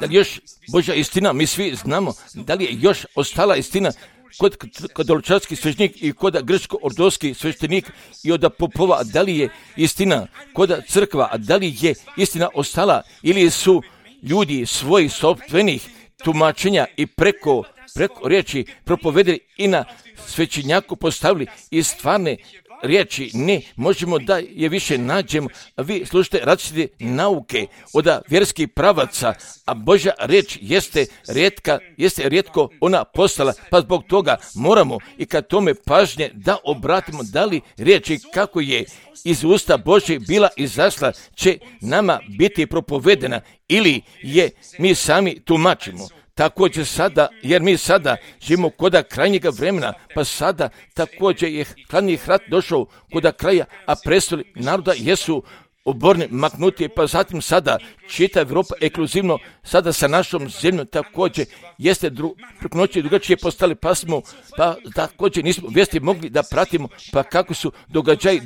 Da li još Božja istina, mi svi znamo, da li je još ostala istina kod katoličanski svećenik i kod grčko-ortodoksi svećenik i od popova, da li je istina kod crkva, a da li je istina ostala ili su ljudi svojih sopstvenih tumačenja i preko riječi propovedili i na svećenjaku postavili i stvarne riječi ne možemo da je više nađemo, a vi slušate različite nauke od vjerskih pravaca, a Božja riječ jeste rijetko ona postala, pa zbog toga moramo i kad tome pažnje da obratimo da li riječi kako je iz usta Božje bila izašla će nama biti propovedena ili je mi sami tumačimo. Također sada, jer mi sada živimo kod krajnjega vremena, pa sada također je hladni rat došao kod kraja, a prestoli naroda jesu oborni, maknuti, pa zatim sada čita Evropa ekskluzivno sada sa našom zemljom također jeste preko noći drugačije postali, pa također nismo vijesti mogli da pratimo, pa kako su događaji,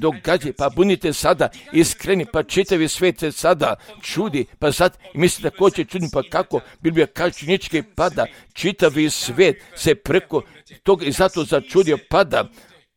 pa bunite sada iskreni, pa čitavi svijet se sada čudi, pa sad misli također čudni, pa kako Biblija kaže činjenički pada, čitavi svijet se preko toga i zato začudio pada.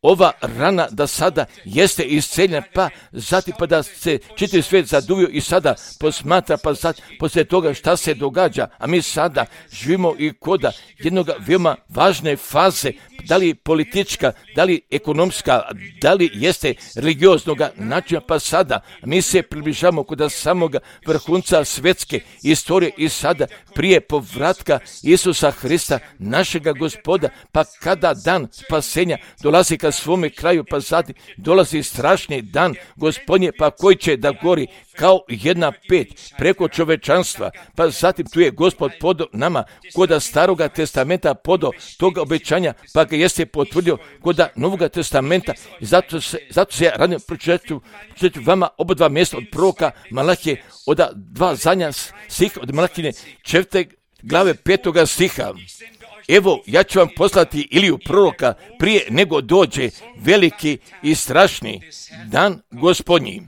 ova rana da sada jeste isceljena, pa zatim pa da se čitav svijet zaduvio i sada posmatra, pa zatim poslije toga šta se događa, a mi sada živimo i koda jednog veoma važne faze, da li politička, da li ekonomska, da li jeste religioznog načina, pa sada mi se približavamo kod samoga vrhunca svjetske istorije i sada prije povratka Isusa Hrista, našega Gospoda, pa kada dan spasenja dolazi ka svome kraju, pa zatim dolazi strašni dan Gospodnje, pa koji će da gori kao jedna peć preko čovečanstva, pa zatim tu je Gospod podo nama koda Staroga testamenta podo toga obećanja, pa ga jeste potvrdio koda Novoga testamenta i zato se ja radim pročitati vama oba dva mjesta od proroka Malahije, od dva zadnja stiha od Malahine 4. glave 5. stiha. Evo, ja ću vam poslati Iliju proroka prije nego dođe veliki i strašni dan Gospodnji.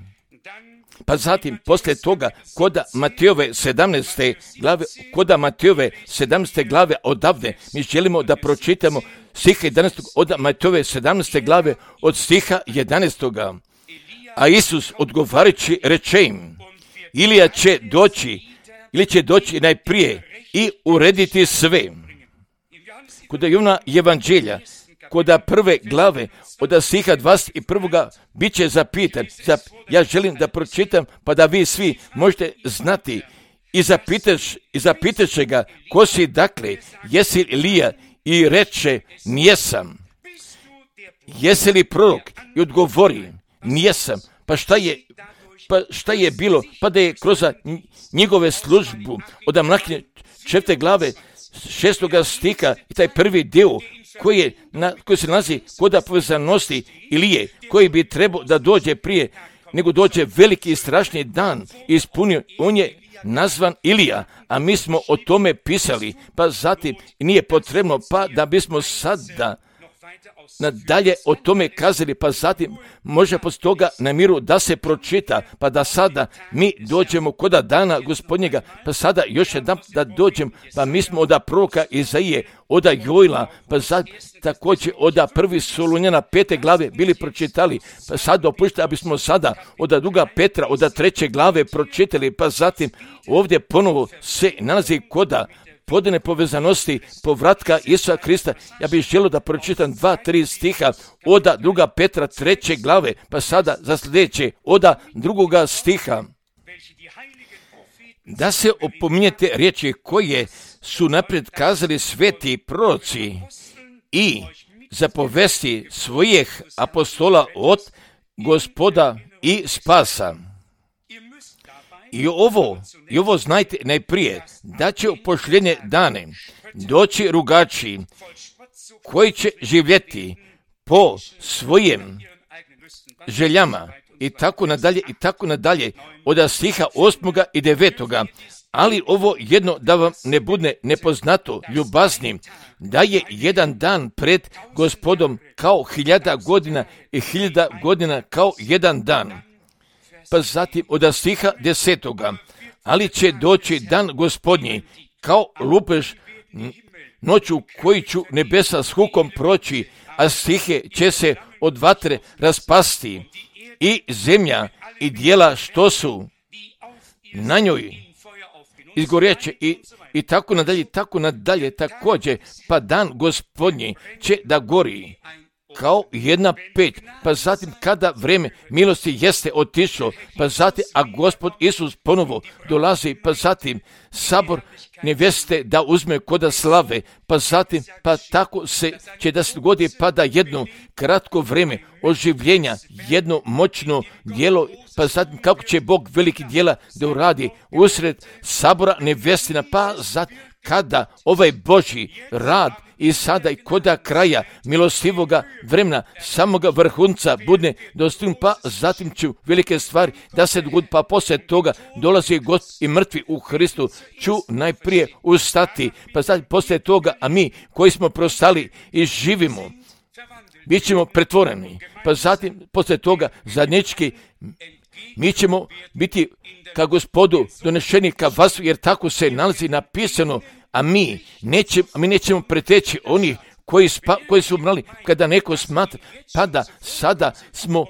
Pa zatim, poslije toga, koda Matejove 17. glave odavde, mi želimo da pročitamo stiha 11. od Matejove 17. glave od stiha 11. A Isus odgovarajući reče im, Ilija će doći najprije i urediti sve. Kod Jovana Evanđelja, kod prve glave, od stiha 21. bit će zapitan. Ja želim da pročitam, pa da vi svi možete znati i zapitaš ga, ko si dakle, jesi Ilija? I reče, nijesam. Jesi li prorok? I odgovori, nijesam. Pa šta je bilo? Pa da je kroz njegove službu od Malahije 4. glave 6. stiha i taj prvi dio koji se nalazi kod povezanosti Ilije, koji bi trebao da dođe prije nego dođe veliki i strašni dan ispunio, on je nazvan Ilija, a mi smo o tome pisali, pa zatim nije potrebno, pa da bismo sada nadalje o tome kazali, pa zatim može poslije toga na miru da se pročita, pa da sada mi dođemo kod dana Gospodnjega, pa sada još jedan da dođem, pa mi smo od proroka Izaije, od Jojla, pa zatim također od 1. Solunjana 5. glave bili pročitali, pa sad dopušta, aby smo sada od 2. Petra, od 3. glave pročitali, pa zatim ovdje ponovo se nalazi koda podane povezanosti povratka Isusa Krista. Ja bih želio da pročitam 2-3 stiha od 2. Petra 3. glave, pa sada za sljedeće od 2. stiha. Da se opominjete riječi koje su naprijed kazali sveti proroci i zapovesti svojih apostola od Gospoda i spasa. I ovo znajte najprije, da će u posljednje dane doći rugači koji će živjeti po svojim željama i tako nadalje od stiha 8. i 9. Ali ovo jedno da vam ne bude nepoznato, ljubazni, da je jedan dan pred Gospodom kao 1000 godina i 1000 godina kao jedan dan. Pa zatim od stiha 10. Ali će doći dan Gospodnji kao lupež noću koji ću nebesa s hukom proći, a stihe će se od vatre raspasti i zemlja i dijela što su na njoj izgorjeće i tako nadalje također, pa dan Gospodnji će da gori kao jedna peć, pa zatim kada vrijeme milosti jeste otišlo, pa zatim, a Gospod Isus ponovo dolazi, pa zatim sabor nevjeste da uzme koda slave, pa zatim, pa tako se će da se dogodi, pa da jedno kratko vrijeme oživljenja, jedno moćno djelo, pa zatim kako će Bog veliki djela da uradi usred sabora nevjestina, pa zatim kada ovaj Božji rad i sada i koda kraja milostivoga vremena, samoga vrhunca budne dostignu, pa zatim će velike stvari da se dogodi, pa poslije toga dolazi Gospod i mrtvi u Hristu ću najprije ustati, pa zatim poslije toga, a mi koji smo prostali i živimo, bit ćemo pretvoreni, pa zatim poslije toga zadnjički mi ćemo biti ka Gospodu donešeni ka vasu, jer tako se nalazi napisano, a mi nećemo preteći onih koji su umrali, kada neko smatra, pa da sada smo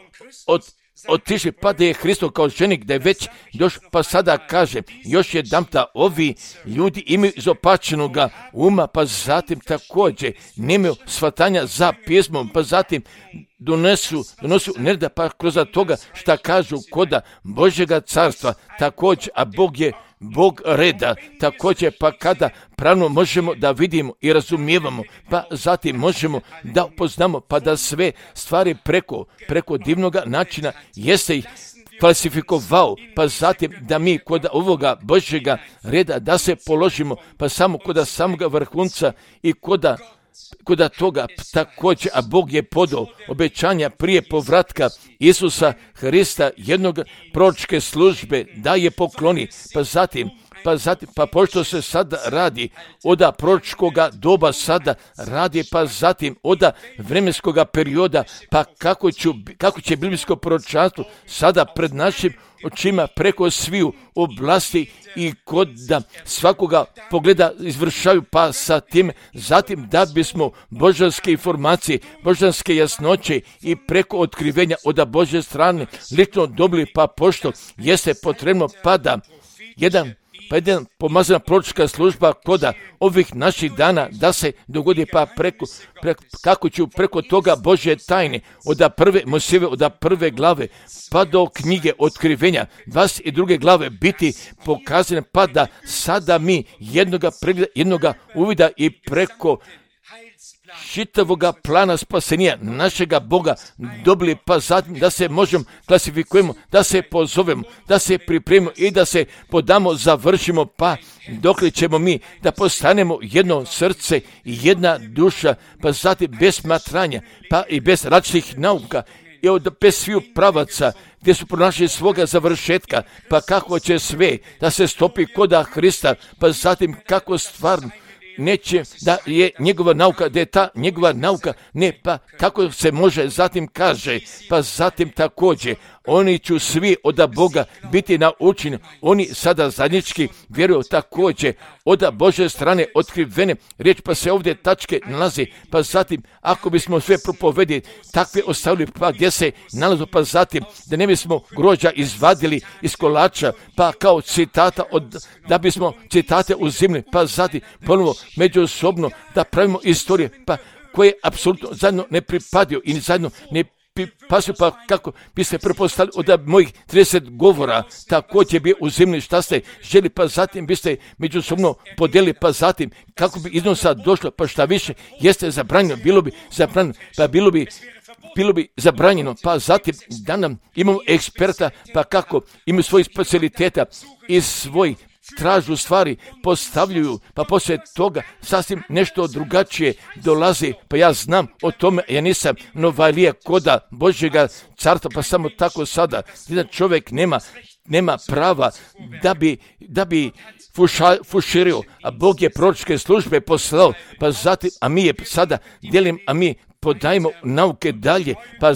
otišli, pa da je Hristo kao ženik, da je već još, pa sada kaže, još jedanputa, ovi ljudi imaju izopačenoga uma, pa zatim također nemaju shvatanja za pismom, pa zatim donosu nereda, pa kroz toga šta kažu koda Božjega carstva, također, a Bog je Bog reda, također pa kada pravno možemo da vidimo i razumijevamo, pa zatim možemo da upoznamo, pa da sve stvari preko divnoga načina jeste ih falsifikovao, pa zatim da mi kod ovoga Božjega reda da se položimo, pa samo kod samoga vrhunca i kod toga također, a Bog je podao obećanja prije povratka Isusa Hrista jednog proročke službe da je pokloni, pa pošto se sada radi oda proročkoga doba sada radi, pa zatim oda vremenskoga perioda, pa kako će biblijsko proročanstvo sada pred našim očima preko sviju oblasti i kod da svakoga pogleda izvršaju, pa sa tim zatim da bismo božanske informacije, božanske jasnoće i preko otkrivenja od Božje strane lično dobili, pa pošto jeste potrebno pa da jedan pomazana proročka služba koda ovih naših dana da se dogodi, pa kako ću preko toga Božje tajne od prve Mojsijeve, od prve glave pa do knjige otkrivenja 22. glave biti pokazane, pa da sada mi jednoga uvida i preko čitavoga plana spasenja našega Boga dobili, pa zatim da se možemo klasifikujemo, da se pozovemo, da se pripremimo i da se podamo, završimo, pa dokle ćemo mi da postanemo jedno srce i jedna duša, pa zatim bez smatranja, pa i bez različitih nauka i bez sviju pravaca gdje su pronašli svoga završetka, pa kako će sve da se stopi koda Hrista, pa zatim kako stvarno neće da je njegova nauka, da je ta njegova nauka, ne, pa kako se može, zatim kaže, pa zatim također, oni će svi od Boga biti naučeni, oni sada zajednički vjeruju također od Božje strane otkrivene riječ, pa se ovdje tačke nalazi, pa zatim ako bismo sve propovedi takve ostavili, pa gdje se nalazu, pa zatim da ne bismo grožđa izvadili iz kolača, pa kao citata, da bismo citate uzimli, pa zatim ponovo međusobno da pravimo istorije, pa koje apsolutno zajedno ne pripadaju i zajedno ne pasu, pa kako bi se prepostavili od mojih 30 govora, također bi uzimili šta ste želi, pa zatim biste međusobno podelili, pa zatim kako bi iznosa došlo, pa šta više jeste zabranjeno, bilo bi zabranjeno, pa zatim da nam imamo eksperta, pa kako imaju svojih specialiteta i svoj tražu stvari, postavljaju, pa poslije toga sasvim nešto drugačije dolazi, pa ja znam o tome, ja nisam novalija koda Božjega carstva, pa samo tako sada, jedan čovjek nema prava da bi fuširio, a Bog je proročke službe poslao, pa zatim, a mi je sada dijelim, a mi podajemo nauke dalje, pa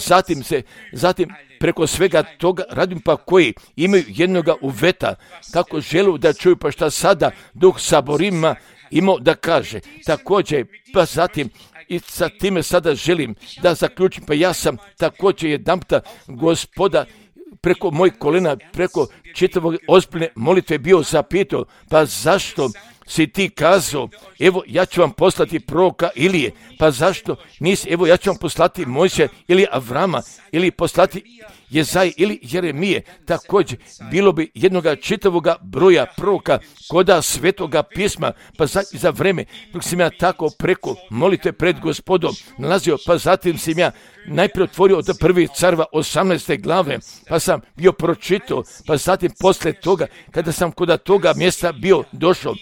zatim preko svega toga radim, pa koji imaju jednoga uveta, kako želu da čuju, pa šta sada Duh Saborima imao da kaže. Također, pa zatim i sa time sada želim da zaključim, pa ja sam također jedanputa Gospoda preko mojih kolena, preko čitavog ozbiljne molitve bio zapitao, pa zašto si ti kazao, evo ja ću vam poslati proroka Ilije, pa zašto nisi, evo ja ću vam poslati Mojsija ili Avrama, ili poslati Jezaj ili Jeremije, također bilo bi jednoga čitavoga broja proroka koda svetoga pisma, pa za vreme dok sam ja tako preko molite pred Gospodom nalazio, pa zatim sam ja najprije otvorio od prvih carva 18. glave, pa sam bio pročitao, pa zatim poslije toga, kada sam kod toga mjesta bio došao,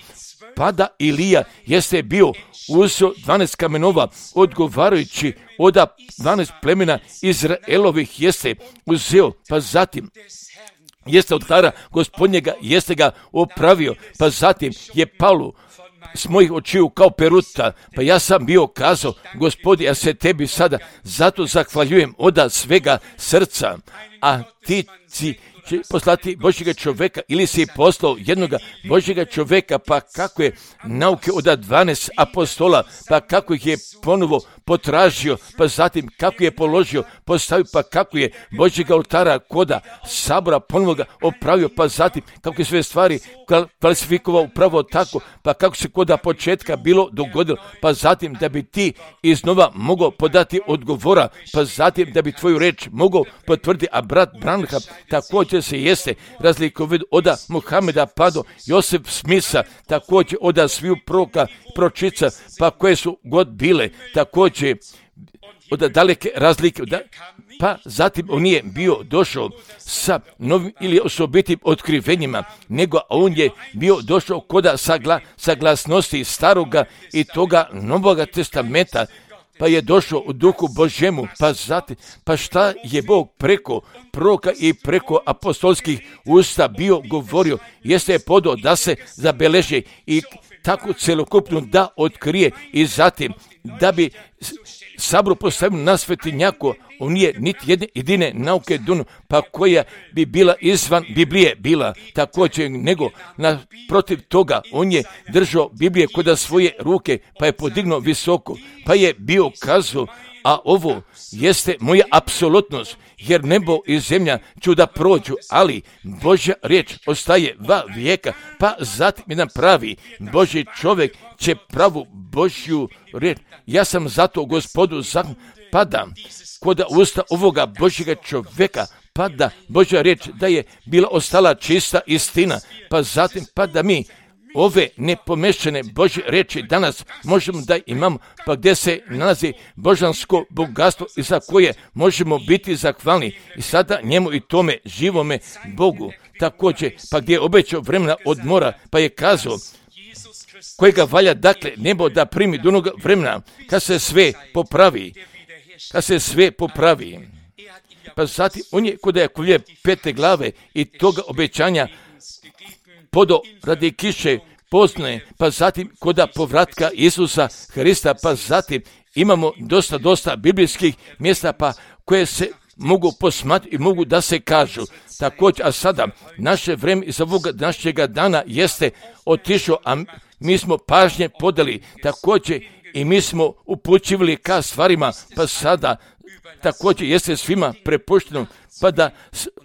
pada Ilija jeste bio uzeo 12 kamenova, odgovarajući od 12 plemena Izraelovih jeste uzeo, pa zatim jeste od oltara Gospodnjega jeste ga opravio, pa zatim je palo s mojih očiju kao peruta, pa ja sam bio kazao, Gospodi, ja se tebi sada zato zahvaljujem od svega srca, a ti si će poslati Božjega čovjeka ili si poslao jednoga Božjega čovjeka, pa kako je nauke od 12 apostola, pa kako ih je ponovo potražio, pa zatim kako je položio, postavio, pa kako je Božjega oltara koda sabora ponovo ga opravio, pa zatim kako je sve stvari klasifikovao upravo tako, pa kako se koda početka bilo dogodilo, pa zatim da bi ti iznova mogao podati odgovora, pa zatim da bi tvoju reč mogao potvrditi, a brat Branham također se jeste razlikovao od Muhameda pa do Josef Smisa, također od sviju proroka, pročica, pa koje su god bile, također od daleke razlike, pa zatim on nije bio došao sa novim ili osobitim otkrivenjima, nego on je bio došao koda saglasnosti staroga i toga Novoga testamenta, pa je došao u duhu Božjemu, pa zatim, pa šta je Bog preko proroka i preko apostolskih usta bio govorio, jeste je podao da se zabeleži i tako celokupno da otkrije i zatim da bi sabor postavio na svetinjaku, on nije niti jedne jedine nauke dunu, pa koja bi bila izvan Biblije bila također, nego protiv toga on je držao Biblije kod svoje ruke, pa je podignuo visoko, pa je bio kazao, a ovo jeste moja apsolutnost, jer nebo i zemlja ću da prođu, ali Božja riječ ostaje va vijeka, pa zatim jedan pravi Božji čovjek će pravu Božju riječ. Ja sam zato Gospodu pada kod usta ovoga Božjega čovjeka, pa da Božja riječ da je bila ostala čista istina, pa zatim pa da mi ove nepomešane Božje riječi danas možemo da imamo, pa gdje se nalazi božansko bogatstvo i za koje možemo biti zahvalni i sada njemu i tome živome Bogu. Također, pa gdje je obećao vremena odmora, pa je kazao kojega valja dakle nebo da primi do onog vremena kad se sve popravi. Pa zatim on je kod Jakovlje 5. glave i toga obećanja podo radi kiše poznaje, pa zatim koda povratka Isusa Hrista, pa zatim imamo dosta biblijskih mjesta pa koje se mogu posmatrati i mogu da se kažu. Također, a sada naše vreme iz ovog današnjega dana jeste otišao, a mi smo pažnje podali također i mi smo upućivali ka stvarima, pa sada također jeste svima prepušteno, pa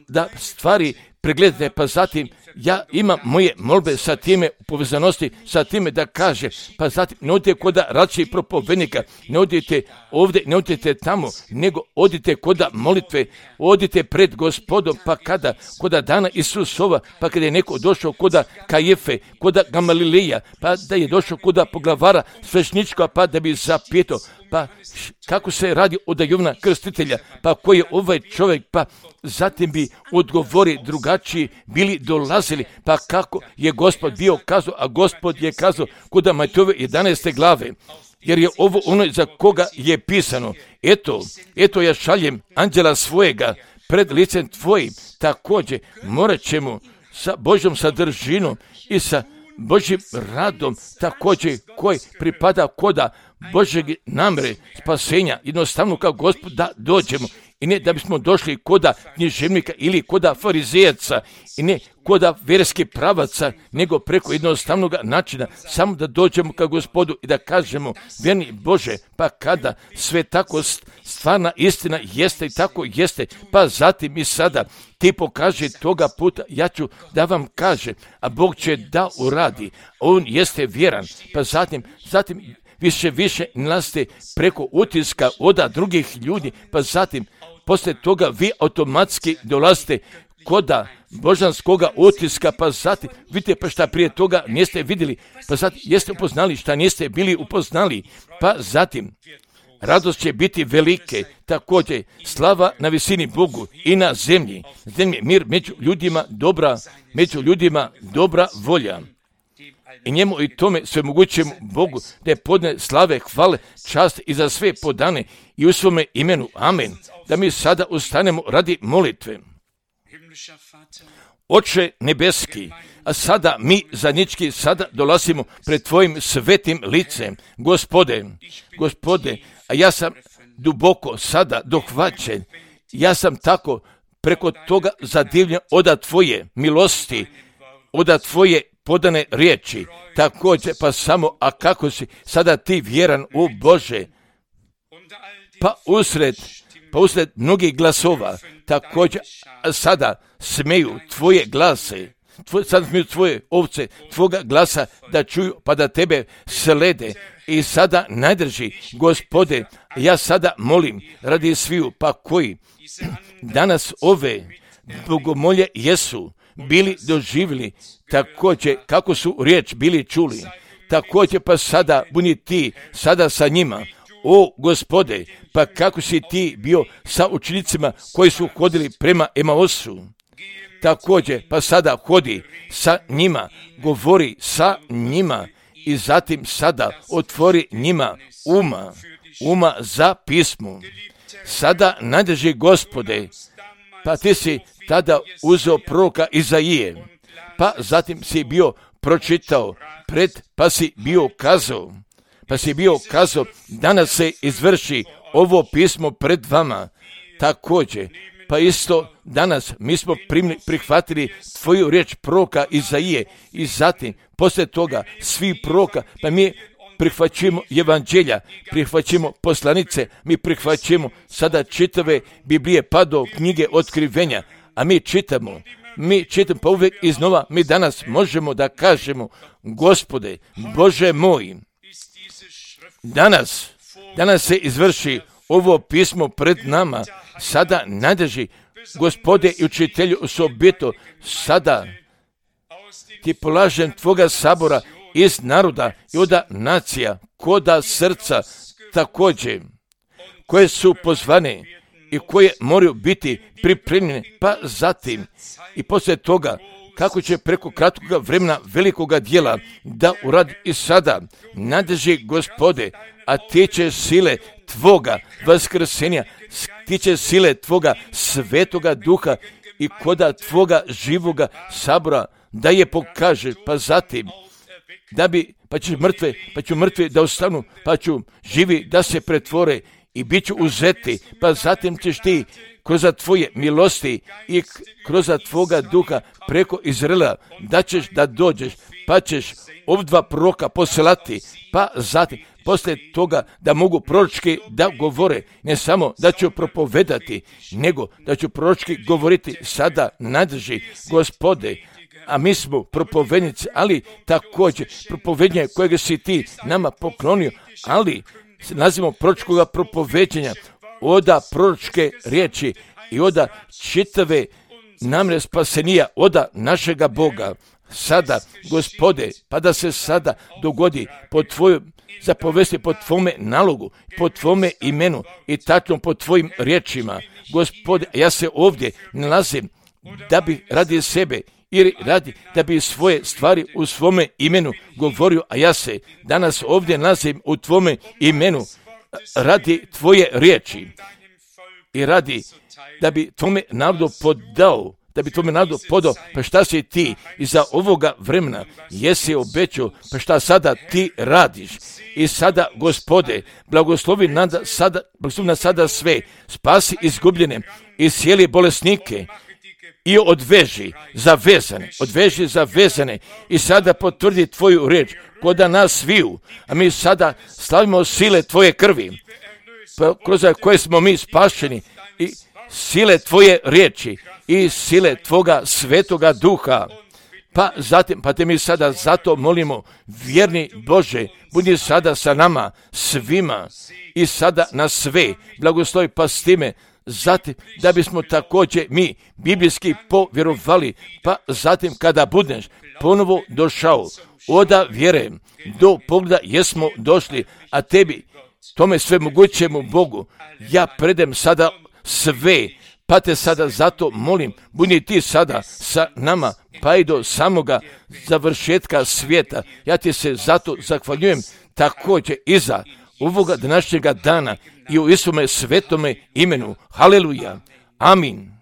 da stvari pregledate, pa zatim ja imam moje molbe sa time u povezanosti, sa time da kaže, pa zatim ne odite koda različitih propovednika, ne odite ovdje, ne odite tamo, nego odite koda molitve, odite pred Gospodom, pa koda dana Isusova, pa kada je neko došao koda Kajefe, koda Gamalileja, pa da je došao koda poglavara svećnička, pa da bi zapitao, pa kako se radi od Jovana Krstitelja, pa koji je ovaj čovjek, pa zatim bi odgovori drugačiji bili dolazili, pa kako je Gospod bio kazao, a Gospod je kazao kod Matejove 11. glave, jer je ovo ono za koga je pisano, eto ja šaljem anđela svojega pred licem tvojim, također morat ćemo sa Božjom sadržinom i sa Božjim radom također koji pripada koda Božjeg namere spasenja, jednostavno kao Gospod da dođemo i ne da bismo došli koda književnika ili koda farizejaca i ne koda vjerskih pravaca, nego preko jednostavnog načina, samo da dođemo ka Gospodu i da kažemo, vjerni Bože, pa kada sve tako stvarna istina jeste i tako jeste, pa zatim i sada ti pokaže toga puta, ja ću da vam kaže, a Bog će da uradi, on jeste vjeran, pa zatim više nalazite preko utiska od drugih ljudi, pa zatim poslije toga vi automatski dolazite koda božanskoga utiska, pa zatim vidite pa šta prije toga niste vidjeli, pa zatim jeste upoznali šta niste bili upoznali, pa zatim radost će biti velike, također slava na visini Bogu i na zemlji mir među ljudima dobra volja. I njemu i tome svemogućem Bogu da je podne slave, hvale, čast i za sve podane i u svome imenu. Amen. Da mi sada ustanemo radi molitve. Oče nebeski, a sada mi zajednički sada dolazimo pred tvojim svetim licem. Gospode, a ja sam duboko sada dohvaćen. Ja sam tako preko toga zadivljen oda tvoje milosti, oda tvoje podane riječi. Također, pa samo, a kako si sada ti vjeran u Bože? Pa usred mnogih glasova, također sada smeju tvoje glase, sada smeju tvoje ovce, tvoga glasa da čuju, pa da tebe slede. I sada najdrži, Gospode, ja sada molim radi sviju, pa koji danas ove bogomolje jesu bili doživjeli, također kako su riječ bili čuli, također pa sada budi ti sada sa njima. O Gospode, pa kako si ti bio sa učenicima koji su hodili prema Emaosu, također pa sada hodi sa njima, govori sa njima i zatim sada otvori njima uma za pismo. Sada nadrži, Gospode, pa ti si tada uzeo proroka Izaije, pa zatim si bio pročitao pa si bio kazao, danas se izvrši ovo pismo pred vama. Također, pa isto danas mi smo prihvatili tvoju riječ proroka Izaije i zatim poslije toga svi proroka, pa mi prihvaćamo evanđelja, prihvaćamo poslanice, mi prihvaćamo sada čitave Biblije pa do knjige otkrivenja, a mi čitamo pa uvijek iznova mi danas možemo da kažemo, Gospode, Bože moj, danas se izvrši ovo pismo pred nama, sada nadrži, Gospode i učitelju osobito, sada ti polažem tvoga sabora iz naroda i od nacija, koda srca također, koje su pozvane i koje moraju biti pripremljene, pa zatim i poslije toga kako će preko kratkog vremena velikoga djela da uradi i sada nadrži, Gospode, a tiče sile tvoga vaskrsenja, tiče sile tvoga svetoga duha i koda tvoga živoga sabora da je pokaže, pa zatim pa ću mrtve da ostanu, pa ću živi da se pretvore i bit ću uzeti, pa zatim ćeš ti kroz tvoje milosti i kroz tvoga duha preko Izraela da ćeš da dođeš, pa ćeš obdva proroka poslati, pa zatim poslije toga da mogu proročki da govore, ne samo da ću propovedati, nego da ću proročki govoriti. Sada nadrži, Gospode, a mi smo propovednici, ali također propovednje kojeg si ti nama poklonio, ali nazivamo proročkoga propoveđenja, oda proročke riječi i oda čitave namjere spasenija, oda našega Boga. Sada, Gospode, pa da se sada dogodi po tvojoj zapovesti, po tvome nalogu, po tvome imenu i tačno po tvojim riječima. Gospode, ja se ovdje nalazim da bi radi sebe ili radi da bi svoje stvari u svome imenu govorio, a ja se danas ovdje nalazim u tvome imenu radi tvoje riječi i radi da bi tvome narodu podao, pa šta si ti iza ovoga vremena jesi obećao, pa šta sada ti radiš. I sada, Gospode, blagoslovi nas sada sve, spasi izgubljene i cijeli bolesnike i odveži zavezane i sada potvrdi tvoju riječ koda nas sviju, a mi sada slavimo sile tvoje krvi, kroz koje smo mi spašeni i sile tvoje riječi i sile tvoga svetoga duha. Pa te mi sada zato molimo, vjerni Bože, budi sada sa nama svima i sada na sve blagoslovi, pa s time zatim da bismo također mi biblijski povjerovali, pa zatim kada budeš ponovo došao, oda vjere do pogleda jesmo došli, a tebi, tome sve mogućemu Bogu, ja predem sada sve, pa te sada zato molim, budi ti sada sa nama, pa i do samoga završetka svijeta. Ja ti se zato zahvaljujem također iza ovoga današnjega dana i u Isuse svetome imenu. Haleluja. Amin.